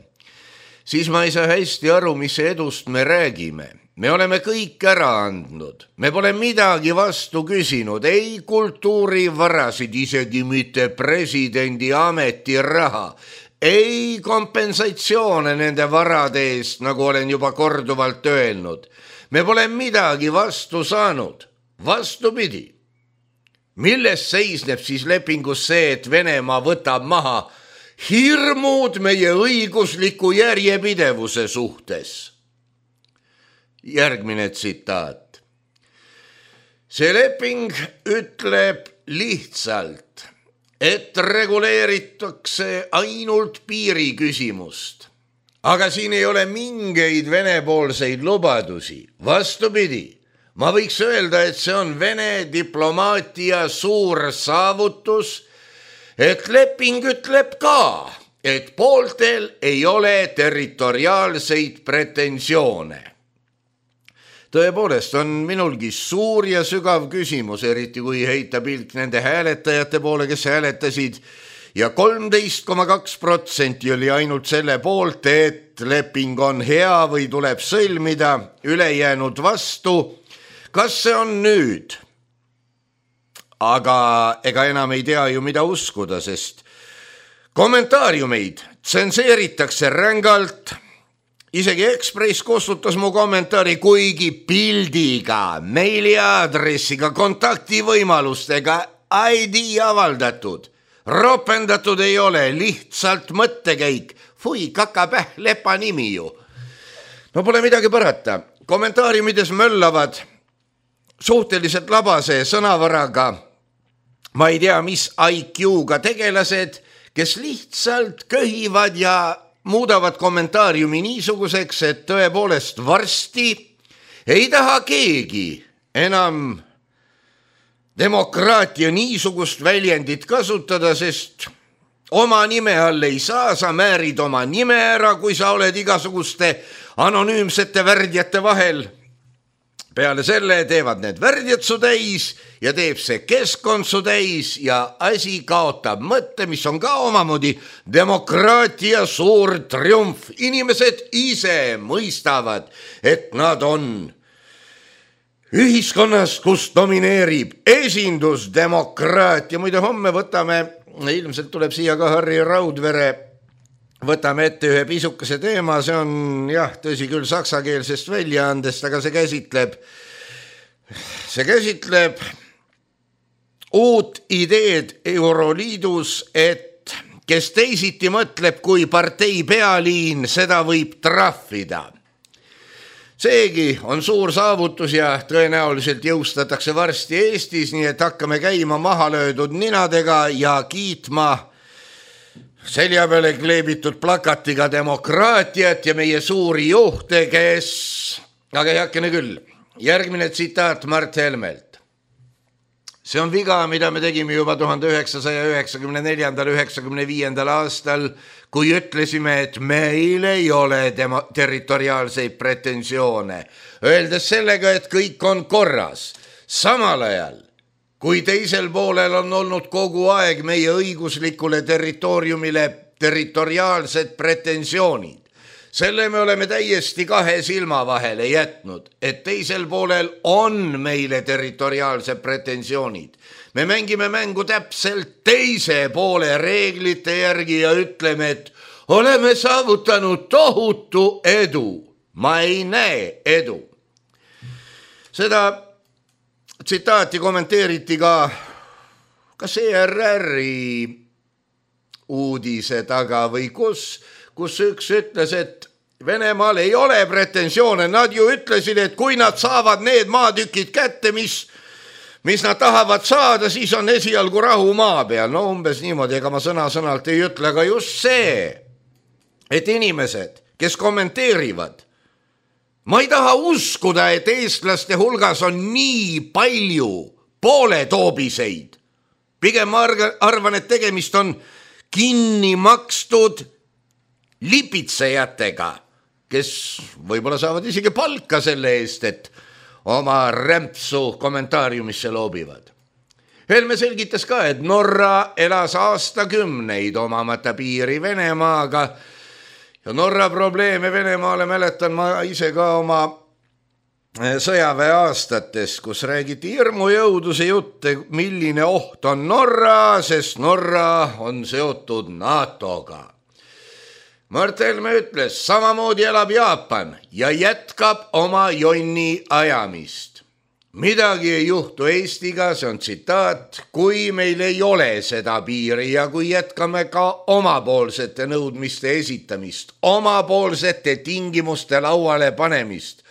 Siis ma ei saa hästi aru, mis edust me räägime. Me oleme kõik ära andnud. Me pole midagi vastu küsinud, ei kultuurivarasid, isegi mitte presidendi ametiraha, ei kompensatsioone nende varade eest, nagu olen juba korduvalt öelnud. Me pole midagi vastu saanud. Vastupidi. Milles seisneb siis lepingus see, et Venemaa võtab maha hirmud meie õigusliku järjepidevuse suhtes? Järgmine tsitaat. See leping ütleb lihtsalt, et reguleeritakse ainult piiriküsimust. Aga siin ei ole mingeid venepoolseid lubadusi. Vastupidi, ma võiks öelda, et see on Vene diplomaatia suur saavutus, et leping ütleb ka, et pooltel ei ole territoriaalseid pretensioone. Tõepoolest on minulgi suur ja sügav küsimus, eriti kui heita pilk nende hääletajate poole, kes hääletasid, ja 13,2% oli ainult selle poolt, et leping on hea või tuleb sõlmida, ülejäänud vastu. Kas see on nüüd? Aga ega enam ei tea ju, mida uskuda, sest kommentaariumeid tsenseeritakse rängalt. Isegi Ekspress kustutas mu kommentaari, kuigi pildiga, meiliaadressiga, kontaktivõimalustega ID avaldatud. Ropendatud ei ole, lihtsalt mõttekäik. Fui, kakapäh, lepa nimi ju. No pole midagi parata. Kommentaariumides möllavad suhteliselt labase sõnavaraga, ma ei tea, mis IQ-ga tegelased, kes lihtsalt köhivad ja muudavad kommentaariumi niisuguseks, et tõepoolest varsti ei taha keegi enam demokraatia niisugust väljendit kasutada, sest oma nime all ei saa, sa määrid oma nime ära, kui sa oled igasuguste anonüümsete värdjate vahel. Peale selle teevad need värdjad su täis ja teeb see keskkond su täis ja asi kaotab mõtte, mis on ka omamoodi demokraatia suur triumf. Inimesed ise mõistavad, et nad on ühiskonnas, kus domineerib esindusdemokraatia. Muide, homme võtame, ilmselt tuleb siia ka Harri Raudvere, võtame ette ühe pisukese teema, see on tõsi küll saksakeelsest väljaandest, aga see käsitleb uut ideed Euroliidus, et kes teisiti mõtleb kui partei pealiin, seda võib trahvida. Seegi on suur saavutus ja tõenäoliselt jõustatakse varsti Eestis, nii et hakkame käima maha löödud ninadega ja kiitma selja peale kleebitud plakatiga demokraatiat ja meie suuri juhte, aga heakene küll. Järgmine tsitaat Mart Helmelt. See on viga, mida me tegime juba 1994-95. aastal, kui ütlesime, et meil ei ole territoriaalseid pretensioone, öeldes sellega, et kõik on korras. Samal ajal, kui teisel poolel on olnud kogu aeg meie õiguslikule territooriumile territoriaalsed pretensioonid, selle me oleme täiesti kahe silma vahele jätnud, et teisel poolel on meile territoriaalsed pretensioonid. Me mängime mängu täpselt teise poole reeglite järgi ja ütleme, et oleme saavutanud tohutu edu. Ma ei näe edu. Seda tsitaati kommenteeriti ka ERR-i uudise taga või kus üks ütles, et Venemaal ei ole pretensioone. Nad ju ütlesid, et kui nad saavad need maatükid kätte, mis nad tahavad saada, siis on esialgu rahu maa peal. No umbes niimoodi, ega ma sõna-sõnalt ei ütle, aga just see, et inimesed, kes kommenteerivad, ma ei taha uskuda, et eestlaste hulgas on nii palju pooletoobiseid. Pigem ma arvan, et tegemist on kinni makstud lipitsejatega, kes võib-olla saavad isegi palka selle eest, et oma rämpsu kommentaariumisse loobivad. Helme selgitas ka, et Norra elas aastakümneid omamata piiri Venemaaga ja Norra probleeme Venemaale mäletan ma ise ka oma sõjaväe aastates, kus räägiti hirmujõuduse jutte, milline oht on Norra, sest Norra on seotud NATO-ga. Mart Helme ütles, samamoodi elab Jaapan ja jätkab oma jonni ajamist. Midagi ei juhtu Eestiga, see on tsitaat, kui meil ei ole seda piiri ja kui jätkame ka omapoolsete nõudmiste esitamist, omapoolsete tingimuste lauale panemist,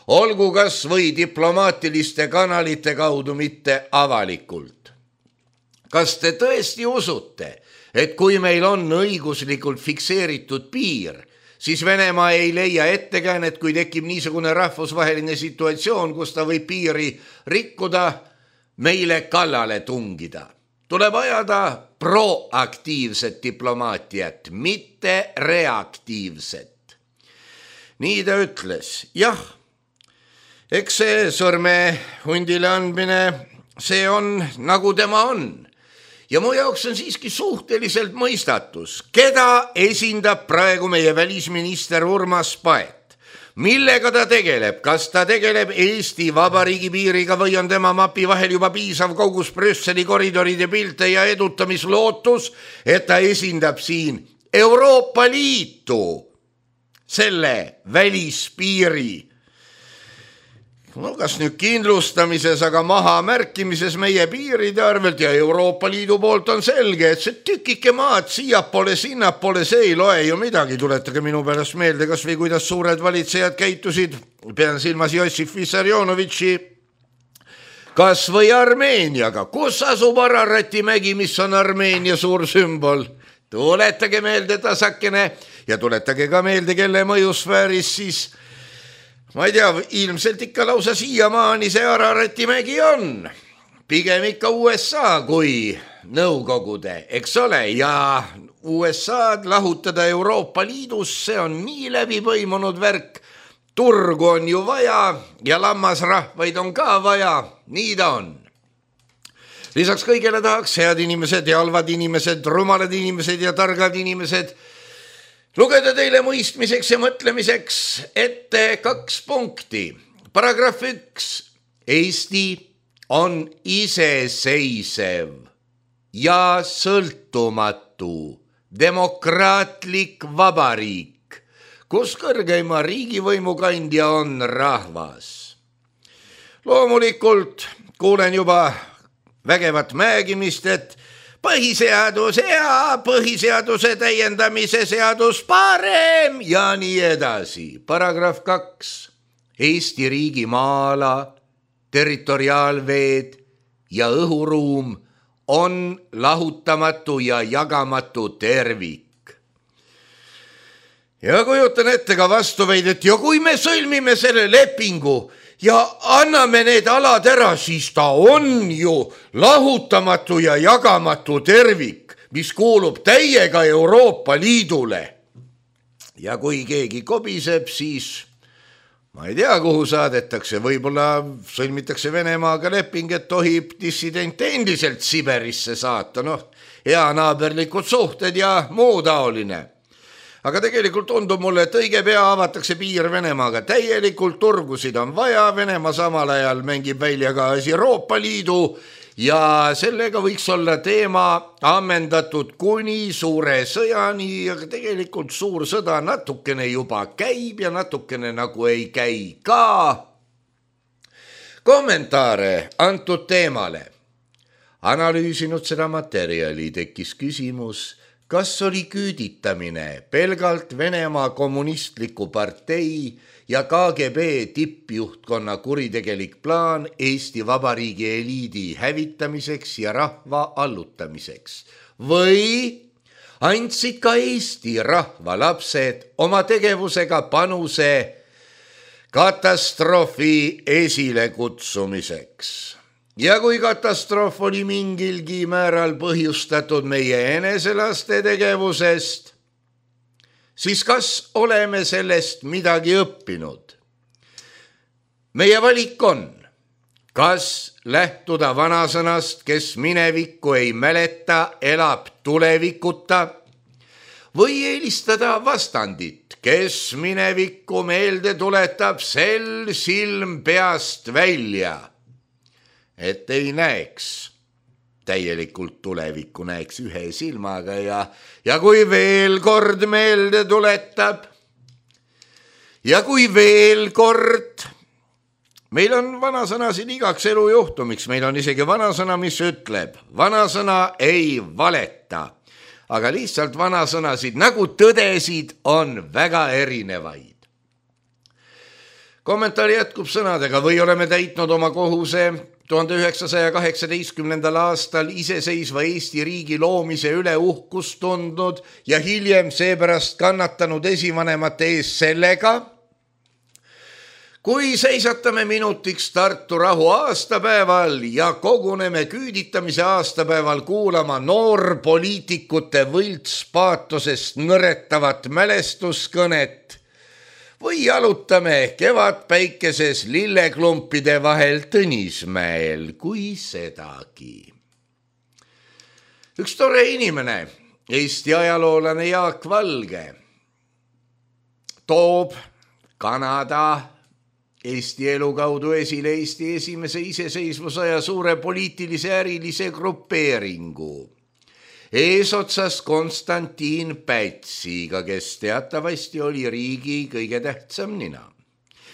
olgu kas või diplomaatiliste kanalite kaudu, mitte avalikult. Kas te tõesti usute, et kui meil on õiguslikult fikseeritud piir, siis Venemaa ei leia ettekäänet, kui tekib niisugune rahvusvaheline situatsioon, kus ta võib piiri rikkuda, meile kallale tungida. Tuleb ajada proaktiivset diplomaatiat, mitte reaktiivset. Nii ta ütles, jah, eks see sõrme hundile andmine, see on nagu tema on. Ja mu jaoks on siiski suhteliselt mõistatus, keda esindab praegu meie välisminister Urmas Paet. Millega ta tegeleb? Kas ta tegeleb Eesti Vabariigi piiriga või on tema mapi vahel juba piisav kogus Brüsseli koridoride pilte ja edutamislootus, et ta esindab siin Euroopa Liitu, selle välispiiri. No kas nüüd kindlustamises, aga maha märkimises meie piiride arvelt ja Euroopa Liidu poolt on selge, et see tükike maad siiapoole, sinnapoole, see ei loe ju midagi. Tuletage minu pärast meelde, kas või kuidas suured valitsejad käitusid, pean silmas Jossif Vissarionovitši, kas või Armeeniaga. Kus asub Ararati mägi, mis on Armeenia suur sümbol? Tuletage meelde tasakene ja tuletage ka meelde, kelle mõjusfääris siis ma ei tea, ilmselt ikka lausa siiamaani see Ararati mägi on. Pigem ikka USA kui Nõukogude, eks ole, ja USA-d lahutada Euroopa Liidus, see on nii läbipõimunud värk. Turgu on ju vaja ja lammasrahvaid on ka vaja, nii ta on. Lisaks kõigele tahaks head inimesed ja halvad inimesed, rumalad inimesed ja targad inimesed lugeda teile mõistmiseks ja mõtlemiseks ette 2 punkti. Paragrahv 1. Eesti on iseseisev ja sõltumatu demokraatlik vabariik, kus kõrgeima riigivõimu kandja on rahvas. Loomulikult kuulen juba vägevat määgimist, et põhiseaduse ja põhiseaduse täiendamise seadus parem ja nii edasi. Paragrahv 2. Eesti riigi maa-ala, territoriaalveed ja õhuruum on lahutamatu ja jagamatu tervik. Ja kujutan ette ka vastuveidet, ja kui me sõlmime selle lepingu ja anname need alad ära, siis ta on ju lahutamatu ja jagamatu tervik, mis kuulub täiega Euroopa Liidule. Ja kui keegi kobiseb, siis ma ei tea, kuhu saadetakse, võib-olla sõlmitakse Venemaaga leping, et tohib dissidente endiselt Siberisse saata, hea naaberlikud suhted ja muu taoline. Aga tegelikult tundub mulle, et õige pea avatakse piir Venemaaga. Täielikult turgusid on vaja, Venemaa samal ajal mängib välja ka Euroopa Liidu ja sellega võiks olla teema ammendatud kuni suure sõjani, aga tegelikult suur sõda natukene juba käib ja natukene nagu ei käi ka. Kommentaare antud teemale. Analüüsinud seda materjali tekkis küsimus, kas oli küüditamine pelgalt Venemaa kommunistliku partei ja KGB tippjuhtkonna kuritegelik plaan Eesti Vabariigi eliidi hävitamiseks ja rahva allutamiseks või andsid ka Eesti rahva lapsed oma tegevusega panuse katastroofi esilekutsumiseks. Ja kui katastroof oli mingilgi määral põhjustatud meie eneselaste tegevusest, siis kas oleme sellest midagi õppinud? Meie valik on, kas lähtuda vanasõnast, kes minevikku ei mäleta, elab tulevikuta, või eelistada vastandit, kes minevikku meelde tuletab, sel silm peast välja, et ei näeks täielikult tulevikku, näeks ühe silmaga ja kui veel kord meelde tuletab ja kui veel kord, meil on vanasõnasid igaks elujuhtumiks, meil on isegi vanasõna, mis ütleb, vanasõna ei valeta, aga lihtsalt vanasõnasid nagu tõdesid on väga erinevaid. Kommentaar jätkub sõnadega, või oleme täitnud oma kohuse 1918. aastal iseseisva Eesti riigi loomise üle uhkust tundnud ja hiljem seepärast kannatanud esivanemate ees sellega, kui seisatame minutiks Tartu rahu aastapäeval ja koguneme küüditamise aastapäeval kuulama noorpoliitikute võltspaatosest nõretavat mälestuskõnet või jalutame kevadpäikeses lilleklumpide vahel Tõnismäel, kui sedagi. Üks tore inimene, Eesti ajaloolane Jaak Valge, toob Kanada Eesti elu kaudu esile Eesti esimese iseseisvusaja suure poliitilise ärilise grupeeringu. Eesotsas Konstantin Pätsiga, kes teatavasti oli riigi kõige tähtsam nina.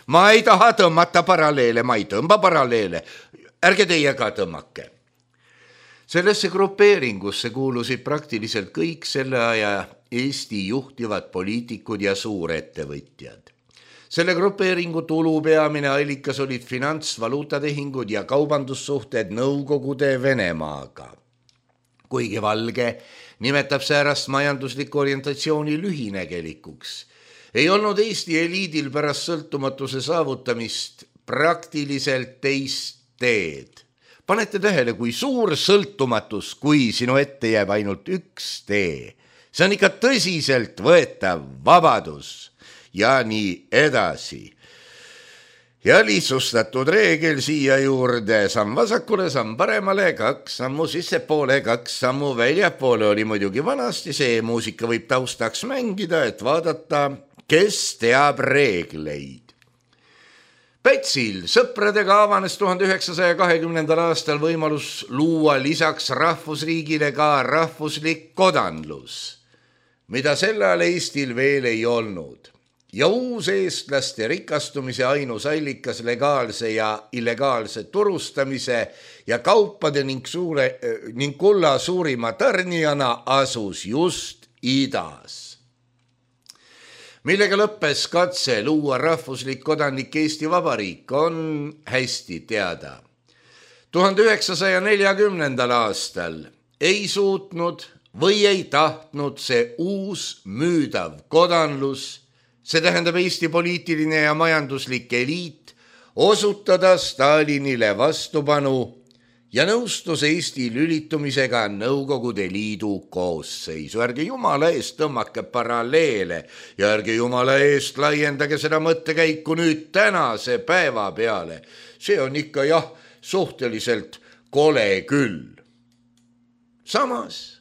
Ma ei taha tõmmata paralleele, ma ei tõmba paralleele, ärge teie ka tõmmake. Sellesse grupeeringusse kuulusid praktiliselt kõik selle aja Eesti juhtivad poliitikud ja suurettevõtjad. Selle grupeeringu tulu peamine allikas olid finantsvaluutatehingud ja kaubandussuhted Nõukogude Venemaaga. Kuigi Valge nimetab säärast majandusliku orientatsiooni lühinegelikuks, ei olnud Eesti eliidil pärast sõltumatuse saavutamist praktiliselt teist teed. Panete tähele, kui suur sõltumatus, kui sinu ette jääb ainult üks tee. See on ikka tõsiselt võetav vabadus ja nii edasi. Ja lihtsustatud reegel siia juurde, samm vasakule, samm paremale, 2 sammu sissepoole, 2 sammu väljapoole oli muidugi vanasti, see muusika võib taustaks mängida, et vaadata, kes teab reegleid. Pätsil sõpradega avanes 1920. aastal võimalus luua lisaks rahvusriigile ka rahvuslik kodanlus, mida sellal Eestil veel ei olnud. Ja uus eestlaste rikastumise ainus allikas legaalse ja illegaalse turustamise ja kaupade ning kulla suurima tarnijana asus just idas. Millega lõppes katse luua rahvuslik kodanik Eesti Vabariik, on hästi teada. 1940. aastal ei suutnud või ei tahtnud see uus müüdav kodanlus, see tähendab Eesti poliitiline ja majanduslik eliit, osutada Stalinile vastupanu ja nõustus Eesti lülitumisega Nõukogude Liidu koosseisu. Ärge jumala eest tõmmake paralleele ja ärge jumala eest laiendage seda mõttekäiku nüüd tänase päeva peale. See on ikka jah, suhteliselt kole küll. Samas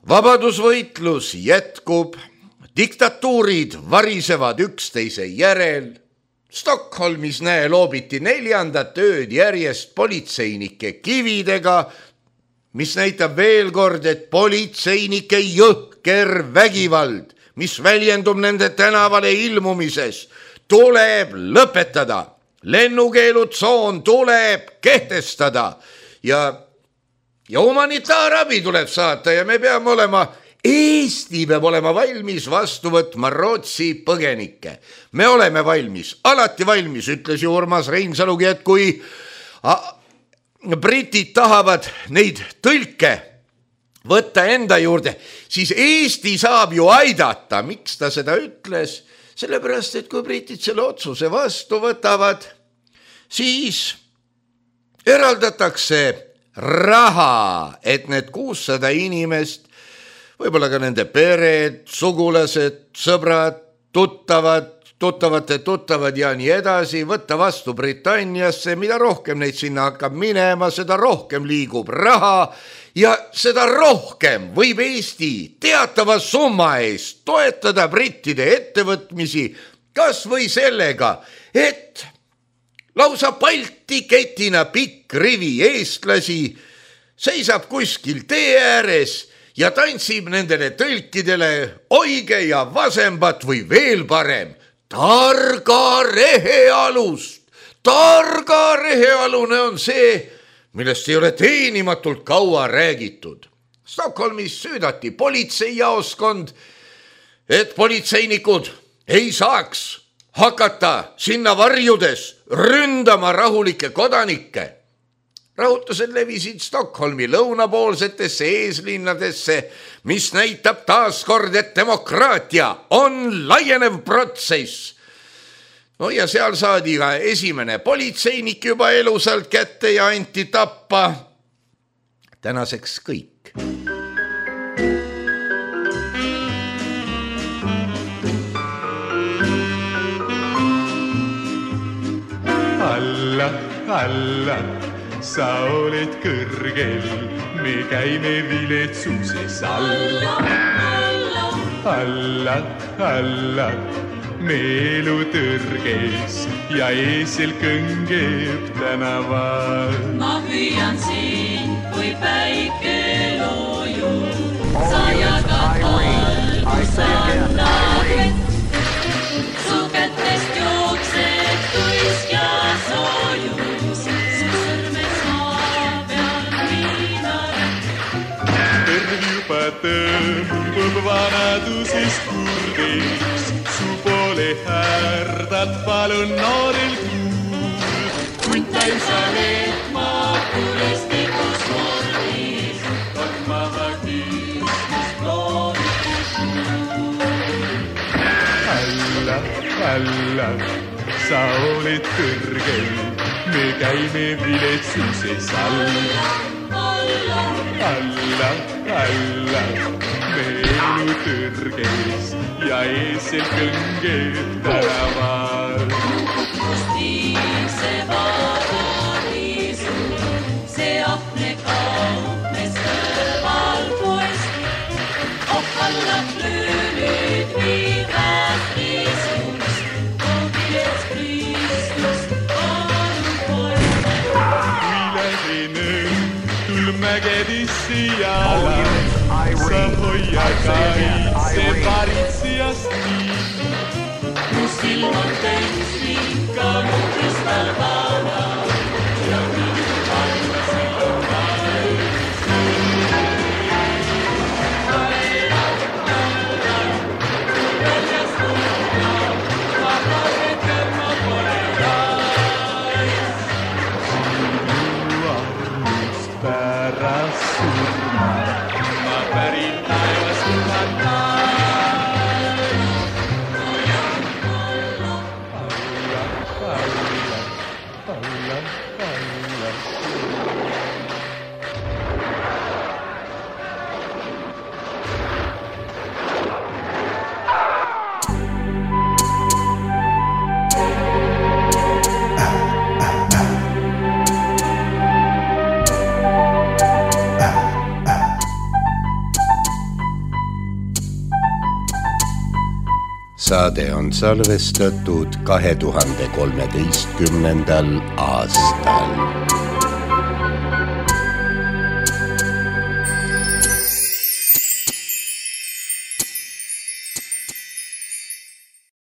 vabadusvõitlus jätkub, diktatuurid varisevad üksteise järel. Stockholmis loobiti 4. ööd järjest politseinike kividega, mis näitab veel kord, et politseinike jõhker vägivald, mis väljendub nende tänavale ilmumises, tuleb lõpetada. Lennukeelutsoon tuleb kehtestada ja humanitaarabi tuleb saata ja me peame olema, Eesti peab olema valmis vastu võtma Rootsi põgenikke. Me oleme valmis, alati valmis, ütles ju Urmas Reinsalugi, et kui britid tahavad neid tõlke võtta enda juurde, siis Eesti saab ju aidata. Miks ta seda ütles? Sellepärast, et kui britid selle otsuse vastu võtavad, siis eraldatakse raha, et need 600 inimest, võib-olla ka nende pered, sugulased, sõbrad, tuttavad ja nii edasi, võtta vastu Britanniasse. Mida rohkem neid sinna hakkab minema, seda rohkem liigub raha ja seda rohkem võib Eesti teatava summa eest toetada brittide ettevõtmisi, kas või sellega, et lausa Balti ketina pikk rivi eestlasi seisab kuskil tee ääres ja tantsib nendele tõlkidele oige ja vasembat või veel parem, targa rehealust. Targa rehealune on see, millest ei ole teenimatult kaua räägitud. Stockholmis süüdati politseijaoskond, et politseinikud ei saaks hakata sinna varjudes ründama rahulikke kodanikke. Rahutused levisid Stockholmi lõunapoolsetesse eeslinnadesse, mis näitab taaskord, et demokraatia on laienev protsess. No ja seal saadi ka esimene politseinik juba elusalt kätte ja anti tappa. Tänaseks kõik. Alla, sa oled kõrgel, me käime viletsuses alla. Alla, me elu tõrges ja eesel kõngeb tänaval. Ma hüüan siin, kui päike loojub, sa jagad valgus annad vett. Su kätest jookseb tuisk ja soojus, su sõrmed maa peal viinaret. Terv juba tõmbub vanadusest kurdiks, su poole härdad palun noorel kuul. Kuntal sa lehma kuristikus mordis, kormava küüsmist loovikus kuul. Alla, sa oled kõrgel, me käime viletsuses alla. Alla, me elu tõrges ja eesel kõngeb tänaval. Kust viib see paradiisu, see ahne kaupmes kõrval poest. Ohkallab löönud viivad riisust, koogilets Kristust anu poest. Tul mägedisse jala, sa hoia kaitse varitsijast nii. Mu silm on täis ikka mu kristalvana ja minu vaimne silm valmis. Väljas tulla, vabased kõrma pole rais. Pärast surma ma pärin taevas kuhata. Alla, saade on salvestatud 2013. aastal.